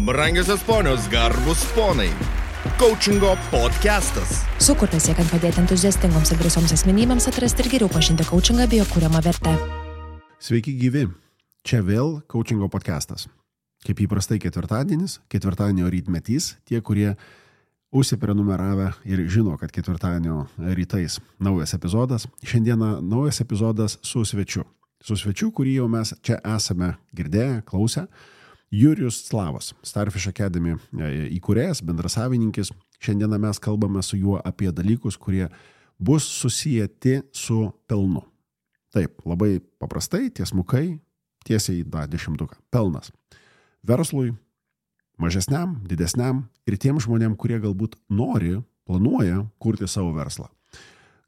Brangiosios ponios, garbus ponai. Coachingo podcastas. Sukurtas siekiant padėti entuziastingoms ir drąsioms asmenybėms atrasti ir geriau pažinti coachingą bei jo kuriamą vertę. Sveiki gyvi. Čia vėl Coachingo podcastas. Kaip įprastai ketvirtadienio rytmetys, tie, kurie užsiprenumeravę ir žino, kad ketvirtadienio rytais naujas epizodas. Šiandieną naujas epizodas su svečiu. Su svečiu, kurį jau mes čia esame girdėję, klausę. Jurijus Slavas, Starfish Academy įkūrėjas, bendrasavininkis. Šiandieną mes kalbame su juo apie dalykus, kurie bus susijęti su pelnu. Taip, labai paprastai, tiesmukai, tiesiai į dešimtuką. Pelnas. Verslui, mažesniam, didesniam ir tiem žmonėm, kurie galbūt nori, planuoja kurti savo verslą.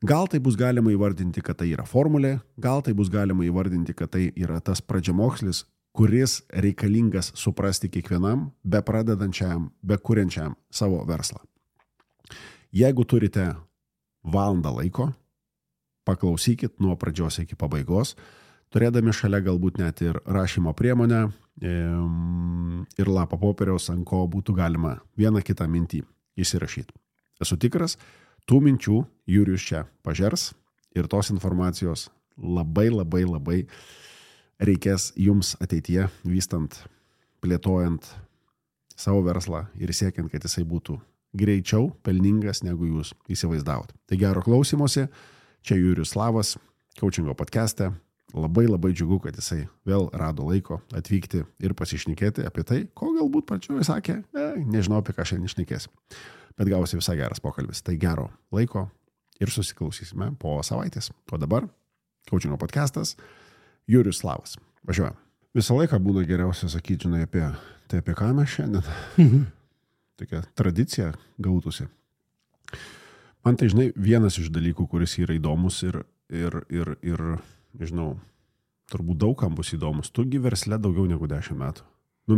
Gal tai bus galima įvardinti, kad tai yra formulė, gal tai bus galima įvardinti, kad tai yra tas pradžiamokslis, kuris reikalingas suprasti kiekvienam, be pradedančiam, be kuriančiam savo verslą. Jeigu turite valandą laiko, paklausykit nuo pradžios iki pabaigos, turėdami šalia galbūt net ir rašymo priemonę ir lapą popieriaus, ant ko būtų galima vieną kitą mintį įsirašyti. Esu tikras, tų minčių Jurijus čia pažers ir tos informacijos labai reikės jums ateityje, vystant, plėtojant savo verslą ir siekiant, kad jisai būtų greičiau pelningas, negu jūs įsivaizdavot. Tai gero klausymosi, čia Jurijus Slavas, Coachingo podcast'e. Labai džiugu, kad jisai vėl rado laiko atvykti ir pasišnekėti apie tai, ko galbūt pradžioje sakė, nežinau, apie ką šiandien šnekėsim. Bet gausi visai geras pokalbis. Tai gero laiko ir susiklausysime po savaitės. O dabar Coachingo podcastas. Jurijus Slavas. Važiuojam. Visą laiką būna geriausia sakyti, žinai, apie ką mes šiandien. Tokia tradicija gautųsi. Man tai, žinai, vienas iš dalykų, kuris yra įdomus ir nežinau, turbūt daugam bus įdomus. Tugi versle daugiau negu 10 metų.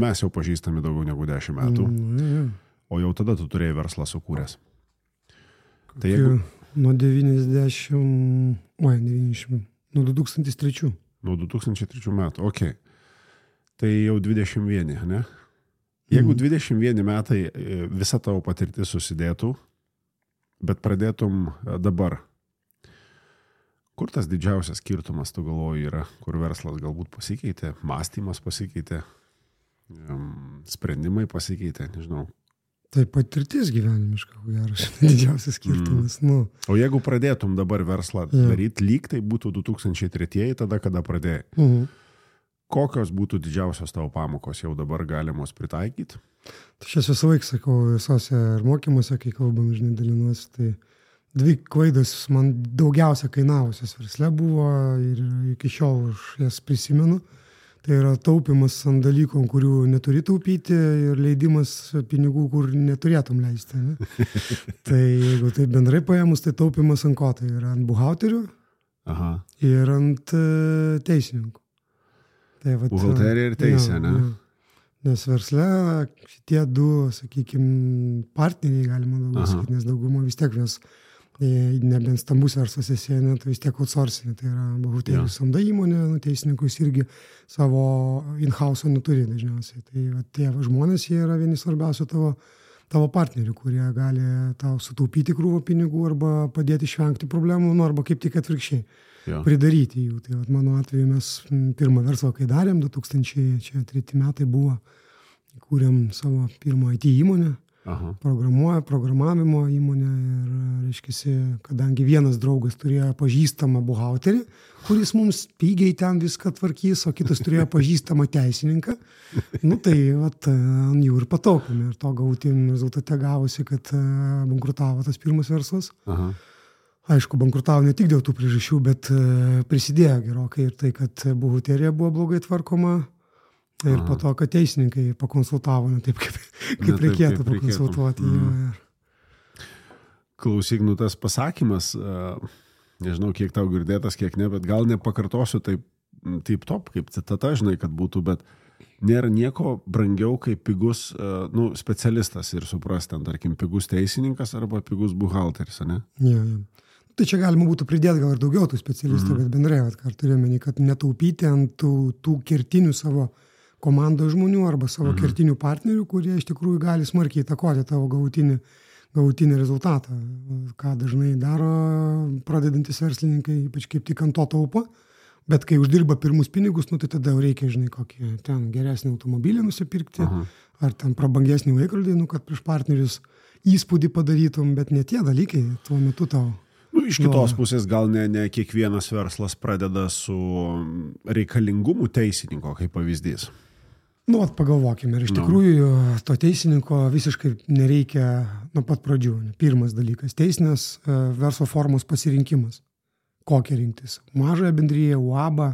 Mes jau pažįstami daugiau negu 10 metų. O jau tada tu turėjai verslą sukūręs. Tai jeigu... Nuo 2003. Nuo 2003 metų, okei. Tai jau 21, ne? Jeigu 21 metai visa tavo patirtis susidėtų, bet pradėtum dabar, kur tas didžiausias skirtumas, tu galvoji, yra, kur verslas galbūt pasikeitė, mąstymas pasikeitė, sprendimai pasikeitė, nežinau. Tai patirtis gyvenimiška, geras, didžiausias skirtumas. O jeigu pradėtum dabar verslą daryti, lyg tai būtų 2003, tada kada pradėjai. Kokios būtų didžiausios tavo pamokos jau dabar galimos pritaikyti? Tai šias visą laiką sakau visose ir mokymuose, kai kalbam, žinai, dalinuosi, tai 2 klaidos man daugiausia kainavusios versle buvo ir iki šiol aš jas prisimenu. Tai yra taupimas ant dalykų, kurių neturi taupyti ir leidimas pinigų, kur neturėtum leisti. Ne? Tai jeigu tai bendrai paėmus, tai taupimas ant ko? Tai yra ant buhalterių ir ant teisininkų. Tai buhalterija ir teisė, ne? Nes versle šitie 2, sakykime, partneriai galima daugiau sakyti, nes daugumą vis tiek mes nebent stambus verslas esi, tai vis tiek outsourcing, tai yra buhalterijų samda įmonė, teisininkus irgi savo in-house neturi dažniausiai. Tai tie žmonės, jie yra vieni svarbiausių tavo partnerių, kurie gali tau sutaupyti krūvą pinigų arba padėti išvengti problemų, arba kaip tik atvirkščiai pridaryti jų. Tai mano atveju mes pirmą verslą, kai darėm, 2003 metai buvo, kūrėm savo pirmą IT įmonę. Programavimo įmonę ir, reiškiasi, kadangi vienas draugas turėjo pažįstamą buhalterį, kuris mums pigiai ten viską tvarkys, o kitas turėjo pažįstamą teisininką, tai ant jų ir pataupėme. Ir to galutin rezultate gavosi, kad bankrutavo tas pirmas verslas. Aišku, bankrutavo ne tik dėl tų priežasčių, bet prisidėjo gerokai ir tai, kad buhalterija buvo blogai tvarkoma. Ir po to, kad teisininkai pakonsultavo, ne taip, kaip reikėtų pakonsultuoti. Klausyk, tas pasakymas, nežinau, kiek tau girdėtas, kiek ne, bet gal nepakartosiu taip top, kaip citata, žinai, kad būtų, bet nėra nieko brangiau kaip pigus specialistas ir suprasti, tarkim, pigus teisininkas arba pigus buhalteris, ne? Tai čia galima būtų pridėti gal ir daugiau tų specialistų, bet bendrai, ką turėjome, kad netaupyti ant tų kertinių savo komandos žmonių arba savo kertinių partnerių, kurie iš tikrųjų gali smarkiai įtakoti tavo galutinį rezultatą. Ką dažnai daro pradedantis verslininkai, ypač kaip tik ant to taupo, bet kai uždirba pirmus pinigus, tai tada jau reikia, žinai, kokį ten geresnį automobilį nusipirkti, ar ten prabangesnį laikrodį, kad prieš partnerius įspūdį padarytum, bet ne tie dalykai tuo metu tau. Iš kitos pusės gal ne kiekvienas verslas pradeda su reikalingumu teisininko, kaip pavyzdys. Pagalvokime, ir iš tikrųjų to teisininko visiškai nereikia nuo pat pradžių. Pirmas dalykas – teisinės verslo formos pasirinkimas. Kokią rinktis? Mažąją bendriją, UABą,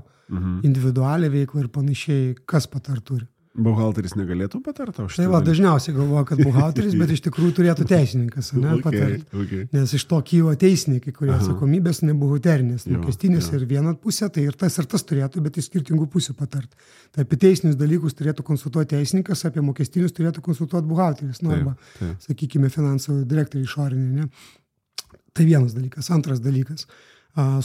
individualią veiklą ir panašiai, kas patart turi. Buhalteris negalėtų patarti už tai? Dažniausiai galvoja, kad buhalteris, bet iš tikrųjų turėtų teisininkas patarti. Nes iš to kyla teisininkai, kurie atsakomybės nebuhalterinės, mokestinės ir viena pusė, tai ir tas turėtų, bet iš skirtingų pusių patarti. Tai apie teisinius dalykus turėtų konsultuoti teisininkas, apie mokestinius turėtų konsultuoti buhalteris, arba, sakykime, finansų direktoriai išoriniai. Tai vienas dalykas. Antras dalykas.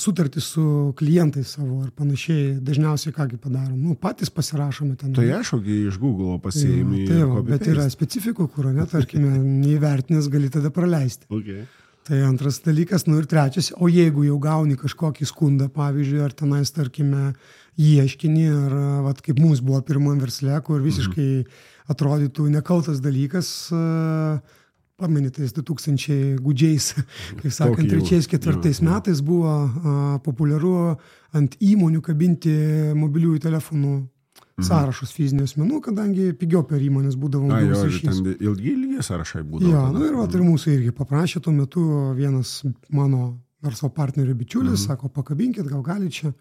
Sutartys su klientais savo ar panašiai, dažniausiai kągi padarom. Patys pasirašome ten. Tai aišku, iš Google pasiėmė. Bet yra specifikų, kur, tarkime, neįvertinęs gali tada praleisti. Tai antras dalykas, ir trečias, o jeigu jau gauni kažkokį skundą, pavyzdžiui, ar tenais, tarkime, ieškinį, ar kaip mums buvo pirmam versle, kur visiškai atrodytų nekaltas dalykas, pamenitais 2000 gudžiais, kaip sakant, 3-4 metais buvo populiaru ant įmonių kabinti mobiliųjų telefonų sąrašus fizinių asmenų, kadangi pigiau per įmonės būdavo mobilus ryšys. Ilgi sąrašai būdavo. Ir mūsų irgi paprašė tuo metu vienas mano verslo partnerio bičiulis, sako, pakabinkit, gal gali čia.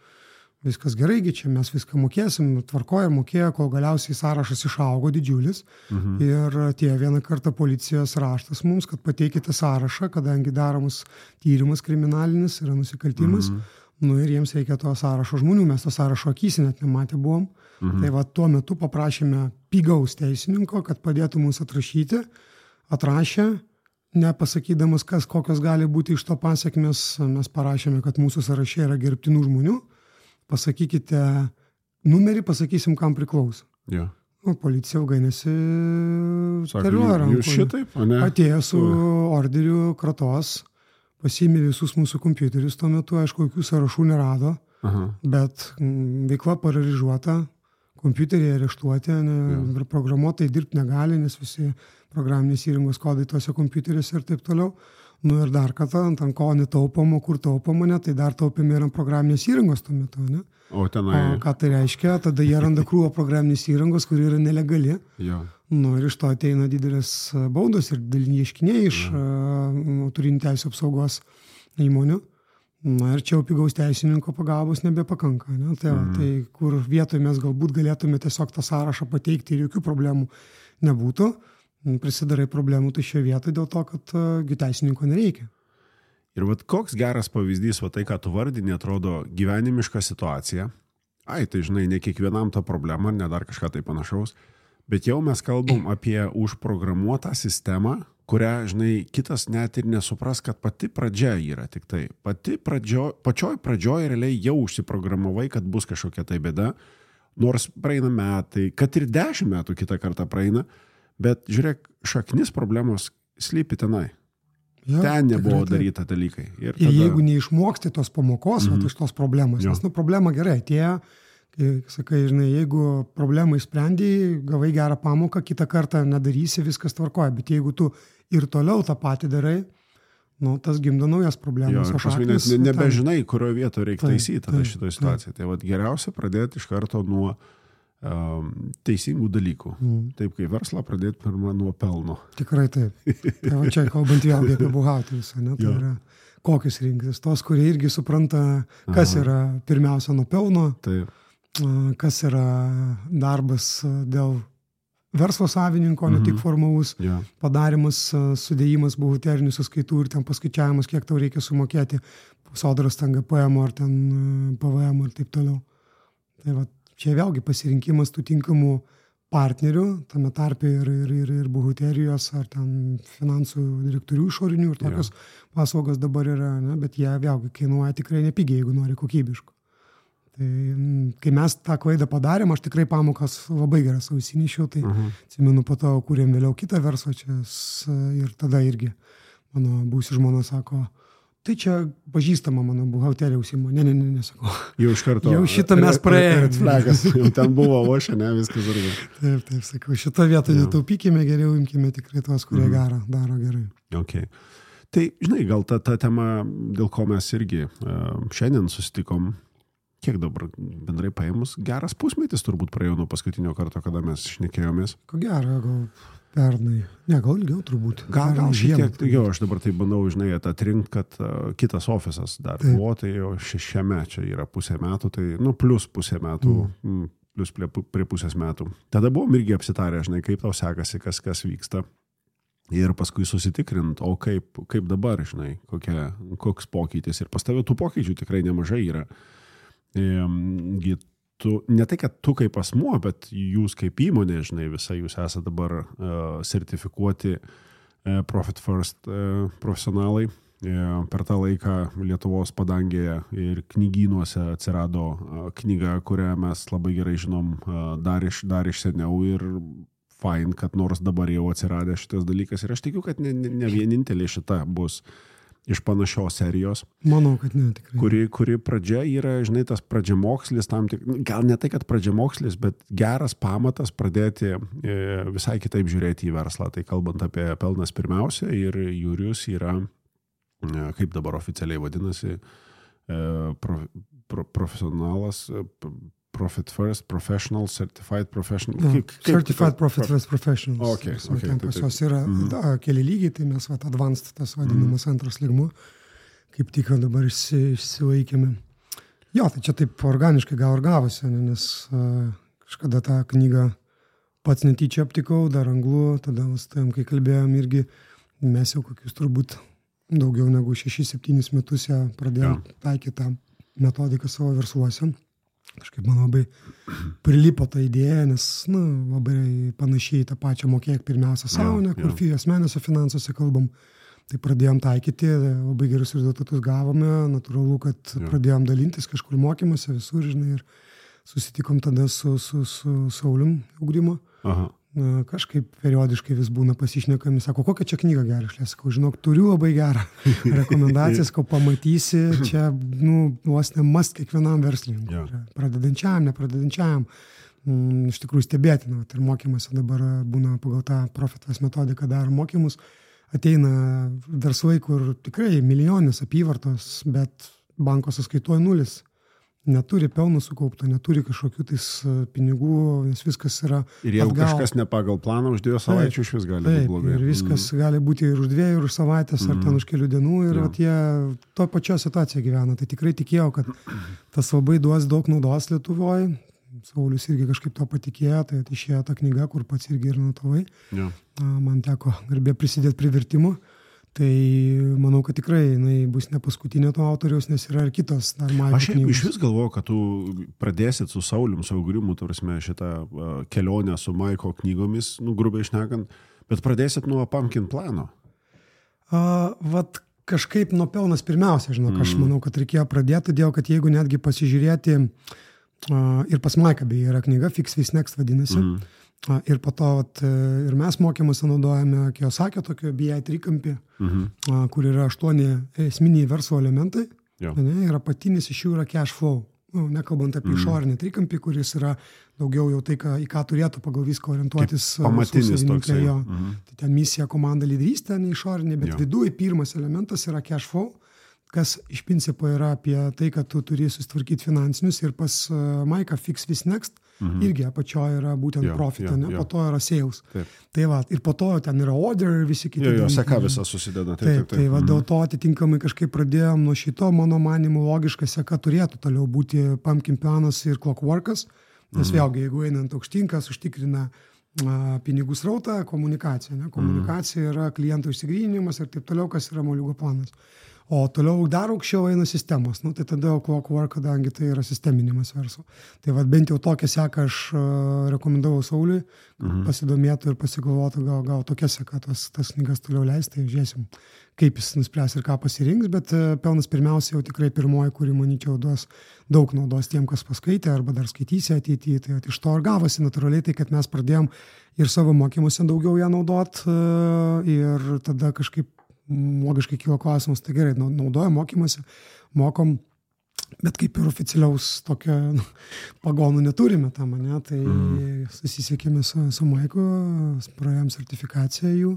Viskas gerai, čia mes viską mokėsim, tvarkoja, mokėjo, kol galiausiai sąrašas išaugo didžiulis. Ir tie vieną kartą policijos raštas mums, kad pateikite sąrašą, kadangi daromas tyrimas kriminalinis, yra nusikaltimas. Ir jiems reikia to sąrašo žmonių, mes to sąrašo akys net nematę buvom. Tai tuo metu paprašėme pigaus teisininko, kad padėtų mums atrašyti. Atrašė, nepasakydamas, kokios gali būti iš to pasekmės, mes parašėme, kad mūsų sąraše yra gerbtinų žmonių. Pasakykite numerį, pasakysim, kam priklauso. Policija ilgai nesiterliuoja rankoje. Atėjo su orderiu kratos, pasiėmė visus mūsų kompiuterius tuo metu, aišku, jokių sąrašų nerado, bet veikla paralyžiuota, kompiuteriai areštuoti, programuotojai dirbti negali, nes visi programinės įrangos kodai tuose kompiuteriuose ir taip toliau. Ir dar kartą, ant ko netaupoma, kur taupoma, tai dar taupėme ir ant programinės įrangos tuo metu. O ką tai reiškia? Tada jie randa krūvą programinės įrangos, kuri yra nelegali. Ir iš to ateina didelės baudos ir dideli ieškiniai iš autorinių teisių apsaugos įmonių. Ir čia jau pigaus teisininko pagalbos nebepakanka. Tai kur vietoje mes galbūt galėtume tiesiog tą sąrašą pateikti ir jokių problemų nebūtų. Prisidarai problemų tai šioje vietoje dėl to, kad teisininko nereikia. Ir koks geras pavyzdys, tai ką tu vardini, atrodo gyvenimiška situacija. Tai žinai, ne kiekvienam ta problema, ne dar kažką tai panašaus, bet jau mes kalbam apie užprogramuotą sistemą, kurią, žinai, kitas net ir nesupras, kad pati pradžia yra tik tai. Pačioj pradžioj realiai jau užsiprogramavai, kad bus kažkokia tai bėda, nors praeina metai, kad ir 10 metų kitą kartą praeina, bet žiūrėk, šaknis problemos slypi tenai. Ten nebuvo daryta dalykai. Ir jeigu neišmoksti tos pamokos, iš tos problemos, nes problema gerai atėjo, kai sakai, žinai, jeigu problemą išsprendėjai, gavai gerą pamoką, kitą kartą nedarysi, viskas tvarkoja, bet jeigu tu ir toliau tą patį darai, tas gimdo naujas problemas. Ir paskui net nebežinai, kurioje vietoje reikia taisyti šitą situaciją. Tai geriausia pradėti iš karto nuo teisingų dalykų. Taip, kai verslą pradėti pirmą nuo pelno. Tikrai taip. Tai čia kalbant vėlgi apie buhalterius, tai yra kokius rinktis. Tos, kurie irgi supranta, kas yra pirmiausia nuo pelno, kas yra darbas dėl verslo savininko, ne tik formalus padarimas, sudėjimas buhalterinių sąskaitų ir ten paskaičiavimas, kiek tau reikia sumokėti sodros, ten GPM ar ten PVM ir taip toliau. Tai čia vėlgi pasirinkimas tų tinkamų partnerių, tame tarpe ir buhalterijos ar ten finansų direktorių išorinių ir tokios paslaugos dabar yra, bet jie vėlgi kainuoja tikrai nepigiai, jeigu nori kokybiškų. Tai kai mes tą klaidą padarėm, aš tikrai pamokas labai geras ausinyšiau, tai atsimenu, po to kūrėm vėliau kitą verslą čia ir tada irgi mano būsi žmona sako, tai čia pažįstama mano buhalterija užsimo. Ne, sakau. Jau iš karto. Jau šitą mes praėjome. Flagas, jau ten buvo ošia, ne, viskas irgi. Taip, sakau, šitą vietą netaupykime, geriau imkime tikrai tuos, kurie daro gerai. Okay. Tai, žinai, gal ta tema, dėl ko mes irgi šiandien susitikom, kiek dabar bendrai paėmus, geras pusmetis turbūt praėjo nuo paskutinio karto, kada mes šnekėjomės. Ko gero, gal pernai. Ne, gal ilgiau turbūt. Gal šiek tiek, jo, aš dabar tai bandau, žinai, atrinkt, kad kitas ofisas dar buvo, tai jau 6 čia yra pusė metų, tai, plus pusė metų, plus prie pusės metų. Tada buvom irgi apsitarę, žinai, kaip tau sekasi, kas vyksta. Ir paskui susitikrint, o kaip dabar, žinai, koks pokytis. Ir pas tave tų pokyčių tikrai nemažai yra. Ne tai, kad tu kaip asmuo, bet jūs kaip įmonė, žinai, visai jūs esate dabar sertifikuoti Profit First profesionalai. Per tą laiką Lietuvos padangėje ir knygynuose atsirado knyga, kurią mes labai gerai žinom dar iš seniau ir fine, kad nors dabar jau atsiradė šitas dalykas. Ir aš tikiu, kad ne vienintelė šita bus iš panašios serijos. Manau, kad ne, tikrai. Kuri pradžia yra, žinai, tas pradžiamokslis, gal ne tai, kad pradžiamokslis, bet geras pamatas pradėti visai kitaip žiūrėti į verslą. Tai kalbant apie pelnas pirmiausia ir Jurijus yra, kaip dabar oficialiai vadinasi, profesionalas, Profit First Professional, Certified Professional. Certified Profit First Professionals. Okay, ten pas jos yra keli lygiai, tai mes advanced tas vadinamas antras lygmuo, kaip tik dabar išsilaikėme. Jo, tai čia taip organiškai gal ir gavosi, nes kažkada tą knygą pats netyčia aptikau, dar anglų, tada kai kalbėjom irgi, mes jau kokius turbūt daugiau negu 6-7 metus ją pradėjom taikyti tą metodiką savo versluose. Kažkaip man labai prilipo ta idėja, nes labai panašiai tą pačią mokėk pirmiausia savo, kur asmeniniuose finansuose kalbam. Tai pradėjom taikyti, labai gerus rezultatus gavome, natūralu, kad pradėjom dalintis kažkur mokymuose visur, žinai, ir susitikom tada su Saulium Ugdymo. Kažkaip periodiškai vis būna pasišnekami, sako, kokią čia knygą gerą, aš sakau, žinok, turiu labai gerą rekomendacijas, ko pamatysi, čia, vos ne must kiekvienam verslininkui, pradedančiam, nepradedančiam, iš tikrųjų stebėtina, ir mokymuose dabar būna pagal tą Profit metodiką daro mokymus, ateina verslai, kur tikrai milijoninės apyvartos, bet banko sąskaitoje nulis. Neturi pelno sukaupto, neturi kažkokių tais pinigų, nes viskas yra ir jeigu kažkas ne pagal planą už 2 savaičių iš vis gali būti blogai. Ir viskas gali būti ir už 2, ir už savaitės, ar ten už kelių dienų, ir jie to pačio situaciją gyvena. Tai tikrai tikėjau, kad tas labai duos daug naudos Lietuvoje. Saulius irgi kažkaip to patikėjo, tai išėjo ta knyga, kur pats irgi ir notavai. Man teko garbė prisidėti prie vertimų. Tai manau, kad tikrai bus ne paskutinė to autoriaus, nes yra ir kitos dar Maiko knygos. Aš iš vis galvoju, kad tu pradėsit su Saulium, su Ugrimu, šitą kelionę su Maiko knygomis, grubiai šnekant, bet pradėsit nuo Pumpkin plano. Vat kažkaip nuo pelnas pirmiausia, žinok, aš manau, kad reikėjo pradėti, todėl kad jeigu netgi pasižiūrėti, ir pas Maiką beje yra knyga, Fix This Next vadinasi, ir po to ir mes mokymuose naudojame Kiyosakio tokio BI trikampį, kur yra 8 esminiai verslo elementai. Ir apatinis iš jų yra cash flow. Nekalbant apie išorinį trikampį, kuris yra daugiau jau tai, į ką turėtų pagal viską orientuotis. Pamatinis toksai. Tai ten misija, komanda, lyderystė, ne išorinė, bet viduje pirmas elementas yra cash flow, kas iš principo yra apie tai, kad tu turi susitvarkyti finansinius, ir pas Maiką Fix This Next irgi apačioje yra būtent profitą, po to yra sales. Tai ir po to ten yra order ir visi kiti. Seka visą susideda. Tai dėl to atitinkamai kažkaip pradėjom nuo šito, mano manimu, logiška seka turėtų toliau būti Pumpkin planas ir Clockworkas, nes vėlgi, jeigu einant aukštinkas, užtikrina pinigų srautą, komunikacija. Komunikacija yra klientų išsigryninimas ir taip toliau, kas yra moliūgo planas. O toliau dar aukščiau eina sistemos. Tai tada Clockwork, kadangi tai yra sisteminimas verslo. Tai bent jau tokią seką aš rekomendavau Sauliui, pasidomėtų ir pasigalvotų, gal tokia seka tas knygas toliau leis, tai žiūrėsim, kaip jis nuspręs ir ką pasirinks, bet pelnas pirmiausia jau tikrai pirmoji, kuri, manyčiau, duos daug naudos tiem, kas paskaitė arba dar skaitysi ateityje. Tai iš to ir gavosi natūraliai, tai kad mes pradėjom ir savo mokymuose daugiau ją naudot ir tada kažkaip logiškai kilo klausimas, tai gerai, naudojam mokymuose, mokom, bet kaip ir oficialiaus tokio pagonų neturime tam, ne? Tai susisiekėme su Maiku, praėjom sertifikaciją jų.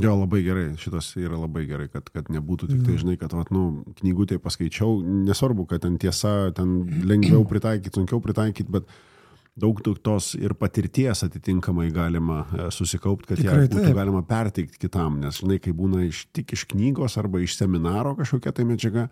Jo, labai gerai, šitas yra labai gerai, kad nebūtų tik tai, žinai, kad knygutėje paskaičiau, nesvarbu, kad ten tiesa, ten lengviau pritaikyti, sunkiau pritaikyti, bet daug tos ir patirties atitinkamai galima susikaupti, kad ją būtų galima perteikti kitam, nes, žinai, kai būna tik iš knygos arba iš seminaro kažkokia tai medžiaga,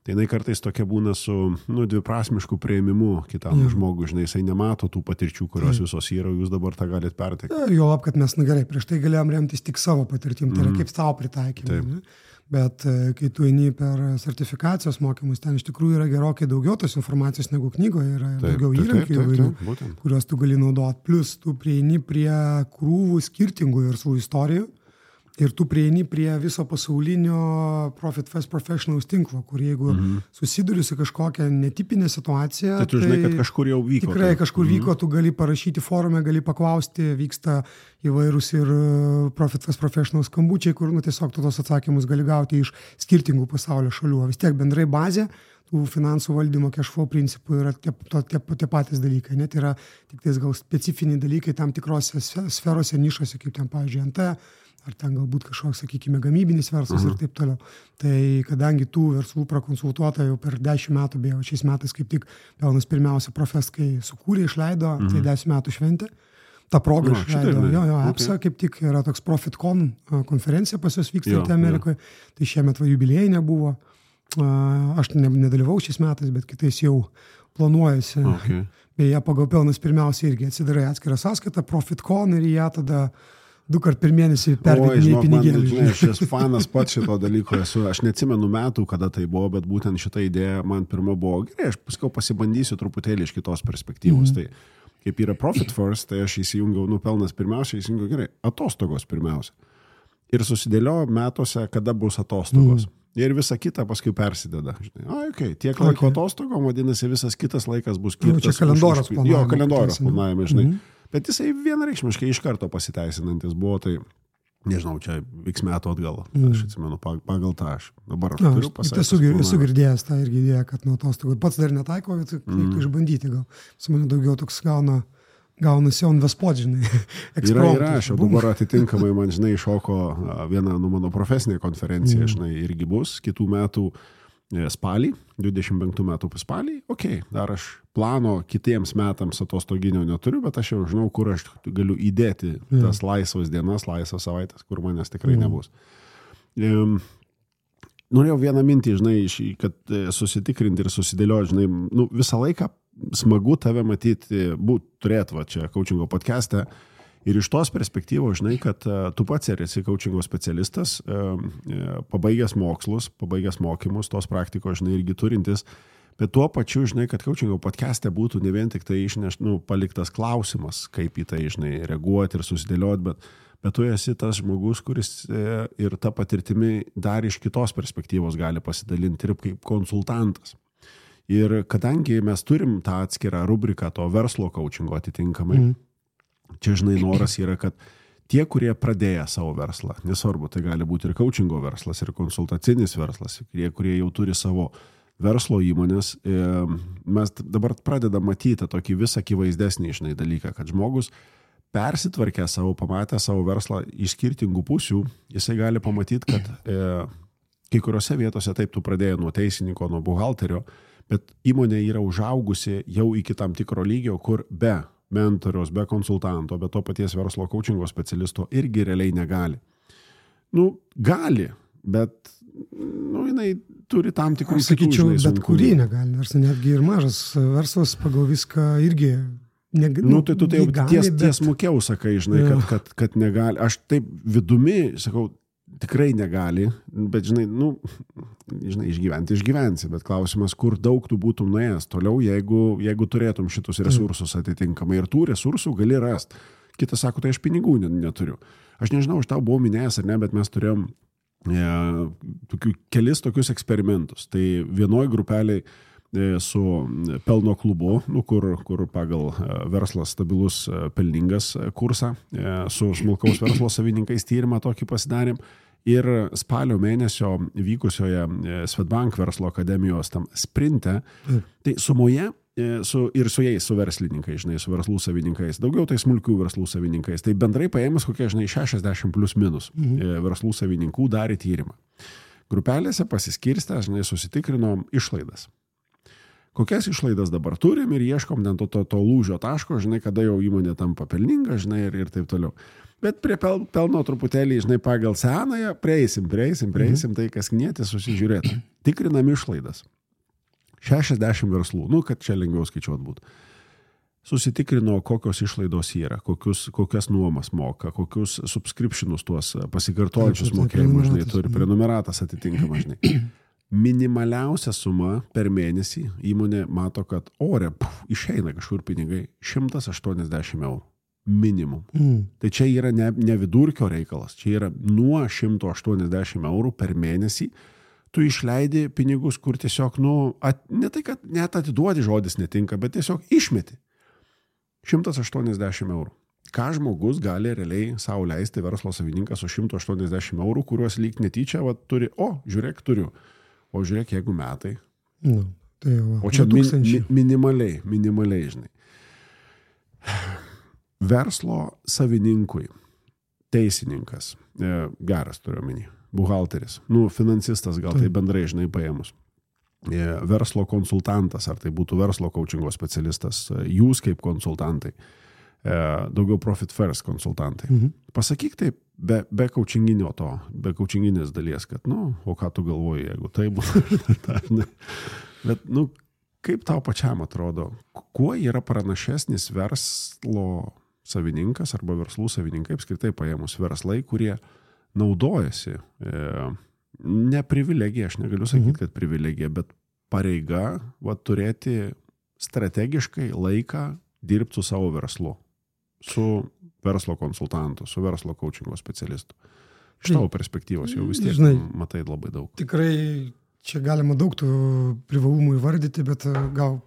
tai jinai kartais tokia būna su dviprasmišku priėmimu kitam žmogui, žinai, jisai nemato tų patirčių, kurios visos yra, jūs dabar tą galite perteikti. Jo, kad mes, gerai, prieš tai galėjom remtis tik savo patirtim, tai yra kaip savo pritaikymą. Bet kai tu eini per sertifikacijos mokymus, ten iš tikrųjų yra gerokai daugiau tos informacijos negu knygoje, yra daugiau įrankių įvairių, kuriuos tu gali naudoti. Plus tu prieini prie krūvų skirtingų verslų istorijų ir tu prieini prie viso pasaulinio Profit First Professionals tinklo, kur jeigu susiduri su kažkokią netipinę situaciją, tai tu žinai, kad kažkur jau vyko. Tikrai kažkur vyko, tu gali parašyti forume, gali paklausti, vyksta įvairūs ir Profit First Professionals skambučiai, kur tiesiog tu tos atsakymus gali gauti iš skirtingų pasaulio šalių. Vis tiek bendrai bazė tų finansų valdymo cash flow principų yra tie patys dalykai. Net yra tik tais gal specifiniai dalykai tam tikrose sferose, nišose, kaip ten, pavyzdžiui, NT, ar ten galbūt kažkoks, sakykime, gamybinis verslas ir taip toliau. Tai kadangi tų verslų prakonsultuota jau per 10 metų, beje, šiais metais kaip tik pelnas pirmiausia Profest, kai sukūrė, išleido, tai 10 metų šventė. Ta proga išleido, EPSA kaip tik yra toks ProfitCon konferencija pas jos vykstanti Amerikoje, tai šiemet jubiliejai nebuvo. Aš nedalyvau šiais metais, bet kitais jau planuojasi. Beje, pagal pelnas pirmiausia irgi atsidarai atskirą sąskaitą, ProfitCon ir ją tada 2 kart per mėnesį pervedinėjai pinigėlį. Žinai, aš esu fanas pats šito dalyko, aš neatsimenu metų, kada tai buvo, bet būtent šita idėja man pirma buvo, gerai, aš paskui pasibandysiu truputėlį iš kitos perspektyvos. Tai kaip yra Profit First, tai aš įsijungiau, pelnas pirmiausia, įsijungiau, gerai, atostogos pirmiausia. Ir susidėlioju metuose, kada bus atostogos. Ir visa kita paskui persideda. Žinai, tiek laiko atostogom, vadinasi, visas kitas laikas bus skirtas. Čia kalendorius planavime. Jo, kalendorius planavime, žinai. Bet jisai vienareikšmiškai iš karto pasiteisinantis buvo, tai nežinau, čia X metų atgal, aš atsimenu, pagal tą aš dabar turiu pasakyti. Esu girdėjęs tą irgi idėją, kad nuo atostogų pats dar netaiko, bet reiktų išbandyti gal. Su mane daugiau toks gaunasi on the spot, žinai. Yra, aš jau dabar atitinkamai man, žinai, iššoko viena mano profesinė konferencija, žinai, irgi bus kitų metų spalį, 25 metų spalį, dar aš plano kitiems metams atostoginio neturiu, bet aš jau žinau, kur aš galiu įdėti tas laisvas dienas, laisvas savaitės, kur manęs tikrai nebus. Norėjau vieną mintį, žinai, kad susitikrinti ir susidėlioti, žinai, visą laiką smagu tave matyti, turėti čia coachingo podcast'e. Ir iš tos perspektyvos, žinai, kad tu pats esi coachingo specialistas, pabaigęs mokslus, pabaigęs mokymus, tos praktikos, žinai, irgi turintis, bet tuo pačiu, žinai, kad coachingo podcast'e būtų ne vien tik tai paliktas klausimas, kaip į tai, žinai, reaguoti ir susidėlioti, bet tu esi tas žmogus, kuris ir tą patirtimį dar iš kitos perspektyvos gali pasidalinti ir kaip konsultantas. Ir kadangi mes turim tą atskirą rubriką to verslo coachingo atitinkamai, čia, žinai, noras yra, kad tie, kurie pradėję savo verslą, nesvarbu, tai gali būti ir coachingo verslas, ir konsultacinis verslas, tie, kurie jau turi savo verslo įmonės, mes dabar pradedam matyti tokį vis akivaizdesnį, žinai, dalyką, kad žmogus persitvarkę savo, pamatę savo verslą iš skirtingų pusių, jisai gali pamatyti, kad kai kuriuose vietose taip tu pradėjai nuo teisininko, nuo buhalterio, bet įmonė yra užaugusi jau iki tam tikro lygio, kur be mentoriaus, be konsultanto, be to paties verslo coachingo specialisto irgi realiai negali. Gali, bet, jinai turi tam tikrų kitų, sakyčiau, bet kurį negali, nors netgi ir mažas verslas pagal viską irgi negali. Tai tu tai jau tiesmukiau sakai, žinai, kad negali. Aš taip vidumi, sakau, tikrai negali, bet žinai, išgyvensi, bet klausimas, kur daug tu būtum nuėjęs toliau, jeigu turėtum šitus resursus atitinkamai ir tų resursų gali rasti. Kitas sako, tai aš pinigų neturiu. Aš nežinau, aš tau buvau minėjęs ar ne, bet mes turėjom kelis tokius eksperimentus. Tai vienoj grupeliai su pelno klubu, kur pagal verslas stabilus pelningas kursą, su smulkaus verslo savininkais tyrimą tokį pasidarėm. Ir spalio mėnesio vykusioje Swedbank verslo akademijos tam sprinte, tai sumoje ir su jais, su verslininkais, žinai, su verslų savininkais, daugiau tai smulkių verslų savininkais, tai bendrai paėmus kokie, žinai, 60 plus minus verslų savininkų darė tyrimą. Grupelėse pasiskirstę, žinai, susitikrinom išlaidas. Kokias išlaidas dabar turim ir ieškom to lūžio taško, žinai, kada jau įmonė tampa pelninga, žinai, ir taip toliau. Bet prie pelno truputėlį, žinai, pagal senąją prieisim, tai kas knietės susižiūrėti. Tikrinam išlaidas. 60 verslų, kad čia lengviau skaičiuot būtų. Susitikrino, kokios išlaidos yra, kokias nuomas moka, kokius subscriptionus tuos pasikartojančius mokėjimus, žinai, turi prenumeratas atitinkamą, žinai. Minimaliausia suma per mėnesį įmonė mato, kad ore išeina kažkur pinigai 180 eurų. Minimum. Tai čia yra ne vidurkio reikalas, čia yra nuo 180 eurų per mėnesį. Tu išleidi pinigus, kur tiesiog, ne tai, kad net atiduodi žodis netinka, bet tiesiog išmeti. 180 eurų. Ką žmogus gali realiai savo leisti verslo savininkas su 180 eurų, kuriuos lyg netyčia turi, žiūrėk, turiu. O žiūrėk, jeigu metai. Tai jau, o čia minimaliai, žinai. Verslo savininkui, teisininkas, geras turiu omeny, buhalteris, finansistas gal tai bendrai, žinai, paėmus. Verslo konsultantas, ar tai būtų verslo coachingo specialistas, jūs kaip konsultantai, daugiau Profit First konsultantai. Pasakyk taip, be coachinginės dalies, kad, o ką tu galvoji, jeigu tai būtų. Bet, kaip tau pačiam atrodo, kuo yra pranašesnis verslo savininkas arba verslų savininkai, apskritai paėmus verslai, kurie naudojasi, ne privilegija, aš negaliu sakyti, kad privilegija, bet pareiga turėti strategiškai laiką dirbti su savo verslu, su verslo konsultantu, su verslo coachingo specialistu. Iš tavo perspektyvos jau vis tiek matai labai daug. Tikrai čia galima daug tų privalumų įvardyti, bet gal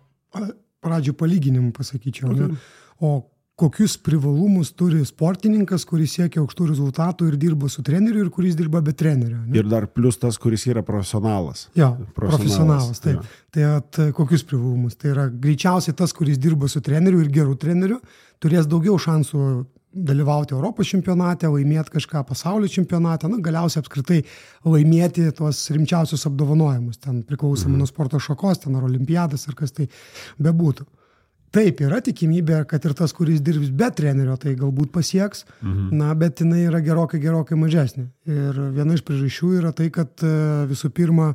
pradžių palyginimų pasakyčiau. O kokius privalumus turi sportininkas, kuris siekia aukštų rezultatų ir dirba su treneriu ir kuris dirba be trenerio. Ne? Ir dar plus tas, kuris yra profesionalas. Jo, profesionalas, taip. Ja. Tai kokius privalumus? Tai yra greičiausiai tas, kuris dirba su treneriu ir geru treneriu, turės daugiau šansų dalyvauti Europos čempionate, laimėti kažką pasaulio čempionate, galiausiai apskritai laimėti tuos rimčiausius apdovanojimus, ten priklausomai nuo sporto šakos, ten ar olimpiadas, ar kas tai bebūtų. Taip, yra tikimybė, kad ir tas, kuris dirbs be trenerio, tai galbūt pasieks, bet jinai yra gerokai mažesnė. Ir viena iš priežasčių yra tai, kad visų pirma,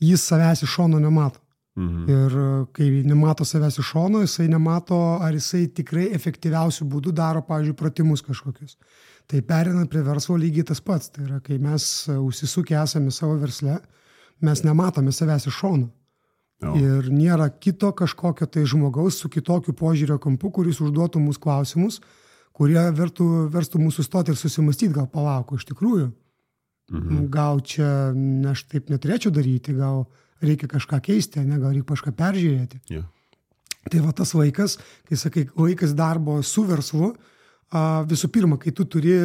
jis savęs iš šono nemato. Ir kai nemato savęs iš šono, jisai nemato, ar jisai tikrai efektyviausių būdų daro, pavyzdžiui, pratimus kažkokius. Tai perinant prie verslo lygiai tas pats. Tai yra, kai mes užsisukę esame savo versle, mes nematome savęs iš šono. Ir nėra kito kažkokio tai žmogaus su kitokiu požiūrio kampu, kuris užduotų mūsų klausimus, kurie verstų mūsų stoti ir susimastyti, gal palauk, iš tikrųjų. Gal čia aš taip neturėčiau daryti, gal reikia kažką keisti, gal reikia kažką peržiūrėti. Yeah. Tai va tas laikas, kai sakai, laikas darbo su verslu, visų pirma, kai tu turi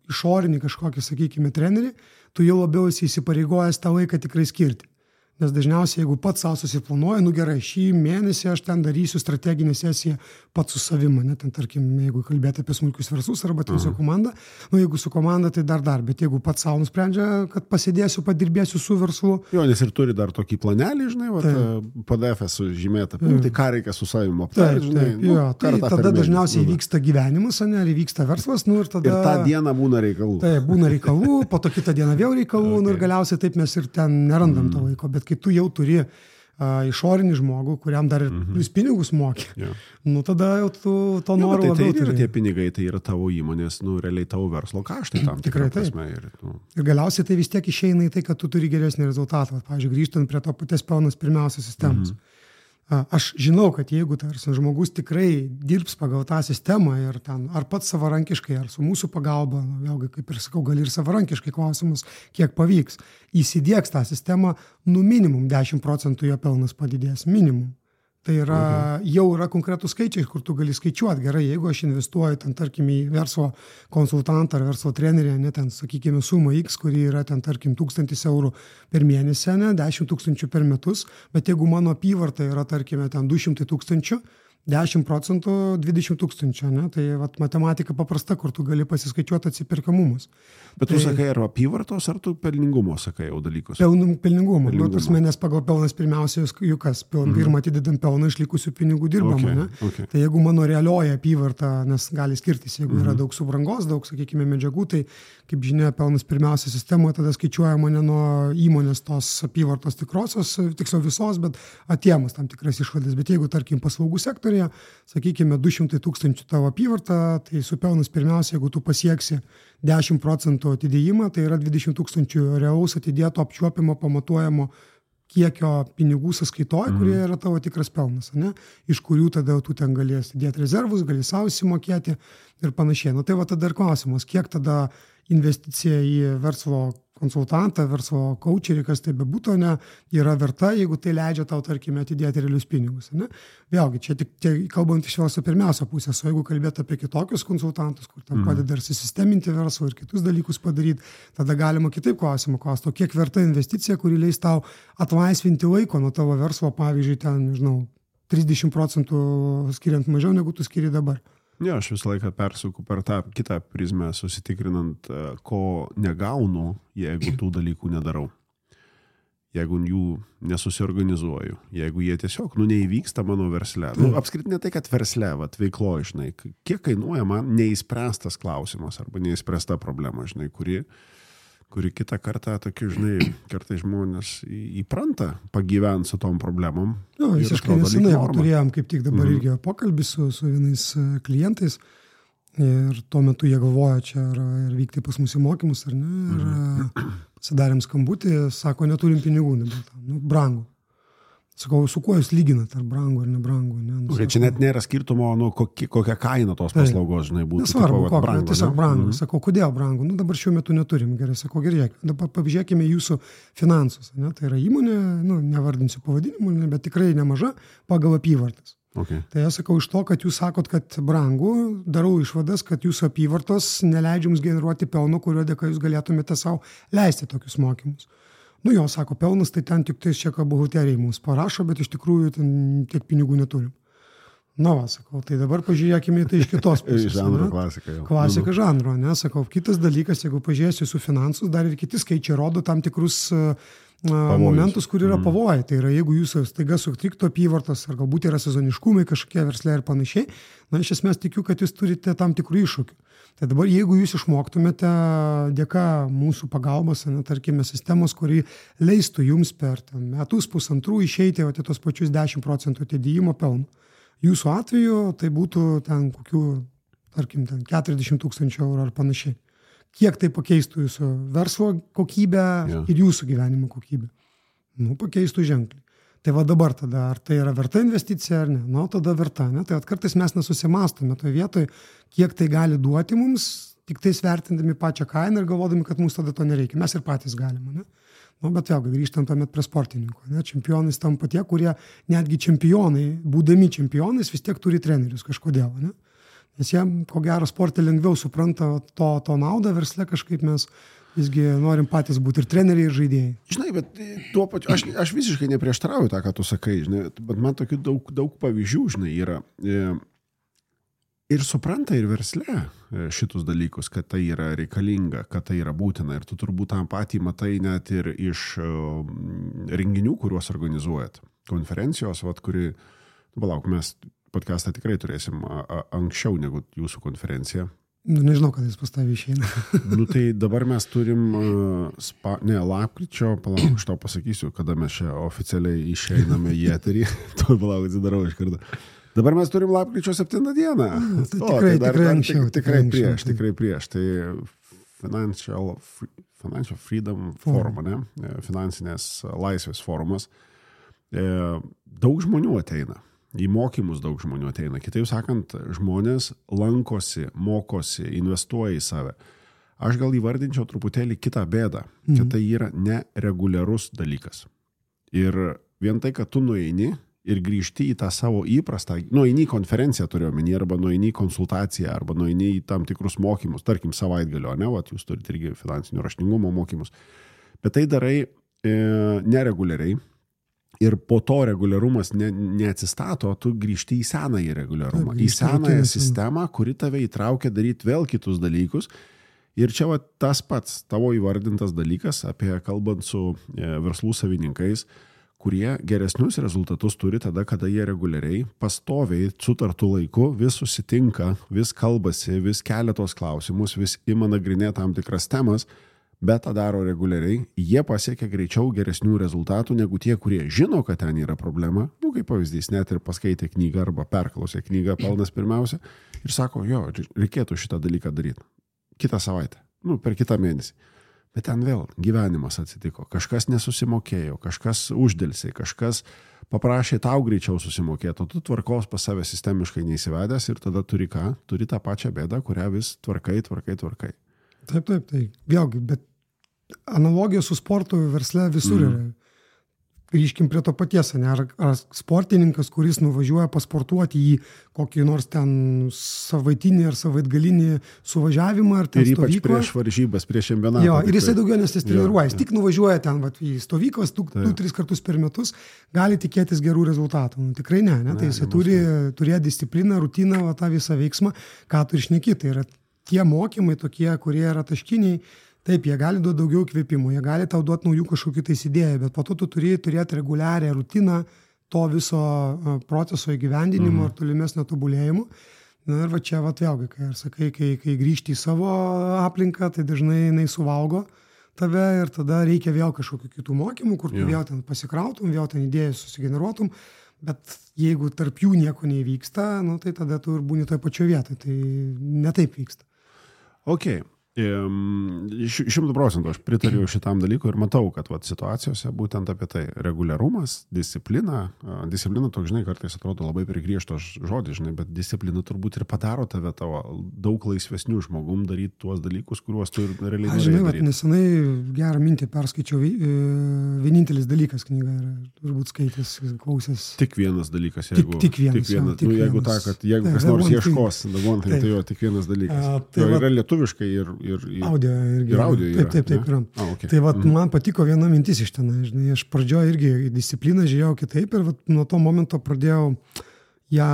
išorinį kažkokį, sakykime, trenerį, tu jau labiau esi įsipareigojęs tą laiką tikrai skirti. Nes dažniausiai, jeigu pats savo susiplanuoja, gerai, šį mėnesį aš ten darysiu strateginę sesiją pats su savimi, ten tarkim, jeigu kalbėti apie smulkius verslus arba ten su komanda, jeigu su komanda, tai dar, bet jeigu pats savo nusprendžia, kad pasėdėsiu, padirbėsiu su verslu. Jo, nes ir turi dar tokį planelį, žinai, PDF sužymėta, tai ką reikia su savimi aptarti, žinai. Tai tada dažniausiai vyksta gyvenimas, ar vyksta verslas, ir tada... Ir tą dieną būna reikalų. Tai būna reikalų, po to kitą dieną vėl reikalų, ir galiausiai taip mes ir ten nerandam to laiko, bet kai tu jau turi išorinį žmogų, kuriam dar ir plius pinigus mokė, tada jau tu to nori labiau turi. Tai tie pinigai, tai yra tavo įmonės, realiai tavo verslo kaštai tam tikrą prasme. Ir galiausiai tai vis tiek išeina į tai, kad tu turi geresnį rezultatą. Pavyzdžiui, grįžtant prie to paties pelnas pirmiausia sistemos. Aš žinau, kad jeigu žmogus tikrai dirbs pagal tą sistemą ir ten, ar pats savarankiškai, ar su mūsų pagalba, vėlgi, kaip ir sakau, gali ir savarankiškai klausimus, kiek pavyks, įsidiegs tą sistemą, minimum 10% jo pelnas padidės, minimum. Tai yra, jau yra konkretų skaičiai, kur tu gali skaičiuoti. Gerai, jeigu aš investuoju ten, tarkim, į verslo konsultantą ar verslo trenerį, ne ten, sakykime, sumą X, kuri yra ten, tarkim, 1000 eurų per mėnesį, ne, 10 000 per metus, bet jeigu mano apyvarta yra, tarkime, ten 200 000, 10% 20 000, ne? Tai vat, matematika paprasta, kur tu gali pasiskaičiuoti atsiperkamumus. Bet tu sakai, ar apyvartos, ar tu pelningumo sakai jau dalykus? Pelningumo. Nes pagal pelnas pirmiausia, juk kas, pirmą atidedam pelną išlikusių pinigų dirbama. Ne? Tai jeigu mano realioji apyvarta, nes gali skirtis, jeigu yra daug subrangos, daug, sakykime, medžiagų, tai, kaip žinia, pelnas pirmiausia sistemoje tada skaičiuojama ne nuo įmonės tos apyvartos tikrosios, tiksliau visos, bet atėmus tam tikras išvadas. Bet jeigu, tarkim, paslaugų sektoriuje, sakykime, 200 000 tavo apyvarta, tai su pelnas pirmiausia, jeigu tu pasieksi 10% atidėjimą, tai yra 20 000 realaus atidėto apčiuopimo, pamatuojamo kiekio pinigų sąskaitoje, kurie yra tavo tikras pelnas, ne? Iš kurių tada tu ten galėsi dėti rezervus, gali savo įsimokėti ir panašiai. Tai va tada ir klausimas, kiek tada investicija į verslo konsultantą, verslo coacherį, kas tai bebūtų, ne, yra verta, jeigu tai leidžia tau, tarkime, atidėti realius pinigus. Ne? Vėlgi, čia tik kalbant iš verslo pirmiausia pusės, o jeigu kalbėti apie kitokius konsultantus, kur tam padeda ir susisteminti verslą ir kitus dalykus padaryti, tada galima kitaip klausimą klausti, o kiek verta investicija, kuri leis tau atlaisvinti laiko nuo tavo verslo, pavyzdžiui, ten, nežinau, 30% skiriant mažiau, negu tu skiri dabar. Ne, aš visą laiką persuku per tą kitą prizmę, susitikrinant, ko negaunu, jeigu tų dalykų nedarau. Jeigu jų nesusiorganizuoju. Jeigu jie tiesiog, neįvyksta mano versle. Apskritai ne tai, kad versle, veiklo, žinai, kiek kainuoja man neįspręstas klausimas arba neįspręsta problema, žinai, kuri kitą kartą, tokiu, žinai, kartais žmonės įpranta pagyventi su tom problemom. Visiškai nesenai turėjom kaip tik dabar irgi pokalbį su vienais klientais ir tuo metu jie galvoja čia ir vykti pas mus į mokymus, ar ne, ir pasidarėm skambutį, sako, neturim pinigų, brangu. Sakau, su kuo jūs lyginat, ar brangu, ar nebrangu. Ne? Čia net nėra skirtumo, kokia kaina tos paslaugos, žinai, būtų. Nesvarbu, kokia, tiesiog brangu. Sakau, kodėl brangu? Dabar šiuo metu neturim. Gerai, sakau, gerai, dabar pažiūrėkime jūsų finansus. Ne? Tai yra įmonė, nevardinsiu pavadinimų, bet tikrai nemaža pagal apyvartas. Tai aš sakau, iš to, kad jūs sakot, kad brangu, darau išvadas, kad jūsų apyvartos neleidžia jums generuoti pelno, kurio dėka jūs galėtumėte savo leisti tokius mokymus. Jo, sako, pelnas, tai ten tik tais čia ką buhalteriai mums parašo, bet iš tikrųjų ten tiek pinigų neturim. Sakau, tai dabar pažiūrėkime tai iš kitos pusės. Žanro klasika jau. Klasika žanro, ne, sakau, kitas dalykas, jeigu pažiūrėsiu su finansus, dar ir kiti skaičiai rodo tam tikrus momentus, kur yra pavojai. Tai yra, jeigu jūs staiga sutriktų apyvartos, ar galbūt yra sezoniškumai kažkokie versle ir panašiai, iš esmės tikiu, kad jūs turite tam tikrų iššūkių. Tai dabar, jeigu jūs išmoktumėte dėka mūsų pagalbos, tarkime, sistemos, kuri leistų jums per metus, pusantrų išeiti tos pačius 10% atidėjimo pelno. Jūsų atveju tai būtų ten kokių, tarkim, 40 000 eurų ar panašiai. Kiek tai pakeistų jūsų verslo kokybę ir jūsų gyvenimo kokybę? Pakeistų ženkliai. Tai va dabar tada, ar tai yra verta investicija ar ne? Tada verta. Ne? Tai kartais mes nesusimastome toje vietoje, kiek tai gali duoti mums, tik tais vertindami pačią kainą ir galvodami, kad mums tada to nereikia. Mes ir patys galime. Ne? Bet vėlgi grįžtam tuomet prie sportininkų. Ne? Čempionais tampa tie, kurie netgi čempionai, būdami čempionais, vis tiek turi trenerius kažkodėl. Ne? Nes jie, ko gero, sporte lengviau supranta to naudą, versle kažkaip mes visgi norim patys būti ir treneriai, ir žaidėjai. Žinai, bet tuo pačiu, aš visiškai neprieštarauju tą, ką tu sakai, žinai, bet man tokių daug pavyzdžių, žinai, yra. Ir supranta ir versle šitus dalykus, kad tai yra reikalinga, kad tai yra būtina. Ir tu turbūt tą patį matai net ir iš renginių, kuriuos organizuojat. Konferencijos, kuri, palauk, mes podcastą tikrai turėsim anksčiau negu jūsų konferencija. Nežinau, kada jis pas tavį išeina. Tai dabar mes turim lapkričio, palauk, aš tau pasakysiu, kada mes čia oficialiai išeiname į eterį. Tu palauk, atsidarau iš karto. Dabar mes turim lapkričio 7 dieną. Tikrai prieš. Tai Financial Freedom Forum, ne? Finansinės laisvės forumas. Daug žmonių ateina. Į mokymus daug žmonių ateina. Kitaip sakant, žmonės lankosi, mokosi, investuoja į save. Aš gal įvardinčiau truputėlį kitą bėdą, kad tai yra nereguliarus dalykas. Ir vien tai, kad tu nueini ir grįžti į tą savo įprastą, nueini į konferenciją turiu omeny, arba nueini į konsultaciją, arba nueini į tam tikrus mokymus, tarkim savaitgalio, ne, vat jūs turite irgi finansinio raštingumo mokymus. Bet tai darai nereguliariai. Ir po to reguliarumas neatsistato, tu grįžti į senąjį reguliarumą, į senąją sistemą, kuri tave įtraukia daryti vėl kitus dalykus. Ir čia va, tas pats tavo įvardintas dalykas, apie kalbant su verslų savininkais, kurie geresnius rezultatus turi tada, kada jie reguliariai, pastoviai, sutartų laiku, vis susitinka, vis kalbasi, vis kelia tos klausimus, vis ima nagrinėti tam tikras temas, bet tą daro reguliariai, jie pasiekia greičiau geresnių rezultatų negu tie, kurie žino, kad ten yra problema, kaip pavyzdys, net ir paskaitė knygą arba perklausė knygą pelnas pirmiausia ir sako, jo, reikėtų šitą dalyką daryti. Kitą savaitę, per kitą mėnesį. Bet ten vėl gyvenimas atsitiko, kažkas nesusimokėjo, kažkas uždėlsiai, kažkas paprašė tau greičiau susimokėti, o tu tvarkos pas save sistemiškai neįsivedęs ir tada turi ką? Turi tą pačią bėdą, kurią vis tvarkai. Taip. Vėlgi, bet analogija su sportu versle visur yra. Grįžkim prie to paties, ne? Ar sportininkas, kuris nuvažiuoja pasportuoti į kokį nors ten savaitinį ar savaitgalinį suvažiavimą ar ten stovyklą. Ir ypač prieš varžybas, prieš čempionatą. Jo, ir jisai daugiau nesitreniruoja. Jis tik nuvažiuoja ten į stovyklas 2-3 kartus per metus, gali tikėtis gerų rezultatų. Tikrai ne? Tai jisai turi turėti discipliną, rutiną, tą visą veiksmą, ką tu išneki. Tai yra tie mokymai tokie, kurie yra taškiniai, taip, jie gali duoti daugiau kvėpimų, jie gali tau duoti naujų kažkokių tais idėjų, bet po to tu turi turėti reguliarią rutiną to viso proceso įgyvendinimo ir tolimesnio tobulėjimo. Na ir va čia vėlgi, kai sakai, kai grįžti į savo aplinką, tai dažnai jinai suvalgo tave ir tada reikia vėl kažkokių kitų mokymų, kur tu vėl ten pasikrautum, vėl ten idėjas susigeneruotum. Bet jeigu tarp jų nieko neįvyksta, tai tada tu ir būni toj pačioje vietoje. Tai ne taip vyksta. Ok. 100% aš pritariu šitam dalykui ir matau, kad situacijose būtent apie tai reguliarumas, disciplina toks, kartais atrodo labai prigriežtas žodis, bet disciplina turbūt ir padaro tave tavo daug laisvesnių žmogum daryti tuos dalykus, kuriuos tu realiai norėjai daryti. Nesenai gerą mintį perskaičiau, vienintelis dalykas knyga yra, turbūt skaitęs, klausęs. Tik vienas dalykas, tik vienas. Jeigu kas nors ieškos, tai jo, tik vienas dalykas. Yra lietuviškai ir audio yra. Taip yra. Okay. Tai man patiko viena mintis iš ten. Aš pradžioje irgi discipliną žiūrėjau kitaip ir nuo to momento pradėjau ją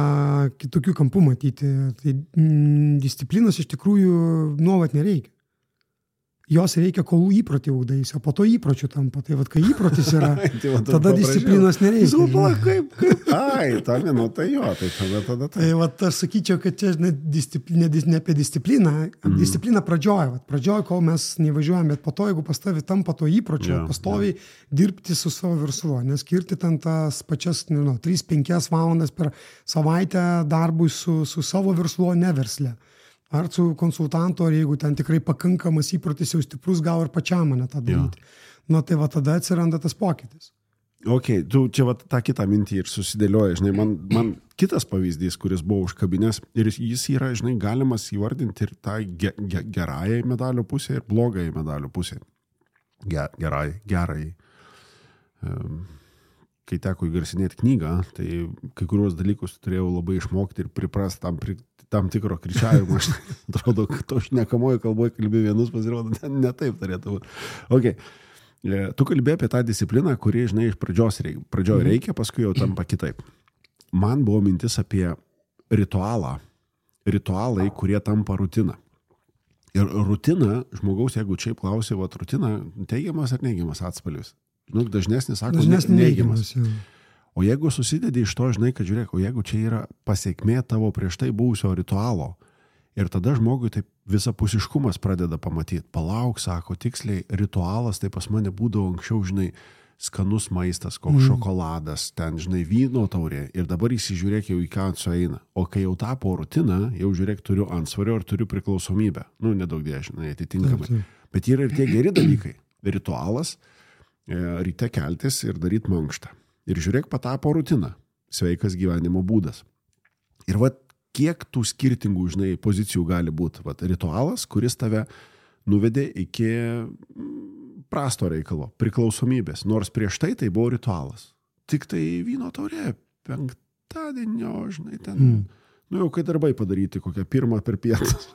kitokių kampų matyti. Tai disciplinos iš tikrųjų nuolat nereikia. Jos reikia, kol įprotį ugdaisi, o po to įpročių tampa. Tai kai įprotis yra, tada disciplinos nereikia. Ta minutė jo, tai tada. Tai aš sakyčiau, kad čia ne apie discipliną. Disciplina pradžioje. Pradžioje, kol mes nevažiuojame, bet po to, jeigu pastovi tampa to įpročio, pastoviai dirbti su savo verslu, neskirti ten tas pačias 3-5 valandas per savaitę darbui su savo verslu, ne versle. Ar su konsultantu, ar jeigu ten tikrai pakankamas įprotis jau stiprus, gal ir pačiam mane tą daryti. Tai tada atsiranda tas pokytis. Ok, tu čia tą kitą mintį ir susidėlioji. Man kitas pavyzdys, kuris buvo užkabinės, ir jis yra, galimas įvardinti ir tą gerąją medalio pusę ir blogąją medalio pusę. Gerai. Kai teko įgarsinėti knygą, tai kai kuriuos dalykus turėjau labai išmokti ir priprasti tam tikro kričiavimo. Aš atrodo, kad to šnekamoje kalboje kalbė vienus, pasirodo, ne taip turėtų būti. Okay. Tu kalbėjai apie tą discipliną, kuri, iš pradžioje reikia, paskui jau tampa kitaip. Man buvo mintis apie ritualai, kurie tampa rutina. Ir rutina, žmogaus, jeigu čia klausė, rutina, teigiamas ar neigiamas atspalvis? Dažnesnis sako, neigiamas. O jeigu susidedi iš to, kad žiūrėk, o jeigu čia yra pasiekmė tavo prieš tai buvusio ritualo Ir tada žmogui taip visapusiškumas pradeda pamatyti. Palauk, sako, tiksliai, ritualas, tai pas mane būdavo anksčiau, žinai, skanus maistas, koks šokoladas, ten, žinai, vyno taurė. Ir dabar įsižiūrėk jau į ką sueina. O kai jau tapo rutina, jau žiūrėk, turiu antsvorio ir turiu priklausomybę. Nu, nedaug žinai, atitinkamai. Bet yra ir tie geri dalykai. Ritualas, ryte keltis ir daryti mankštą. Ir žiūrėk, patapo rutina. Sveikas gyvenimo būdas. Ir vat, kiek tų skirtingų, žinai, pozicijų gali būti. Vat, ritualas, kuris tave nuvedė iki prasto reikalo, priklausomybės. Nors prieš tai buvo ritualas. Tik tai vyno taurė, penktadienio, žinai, ten. Nu jau kai darbai padaryti, kokią pirmą per pietus.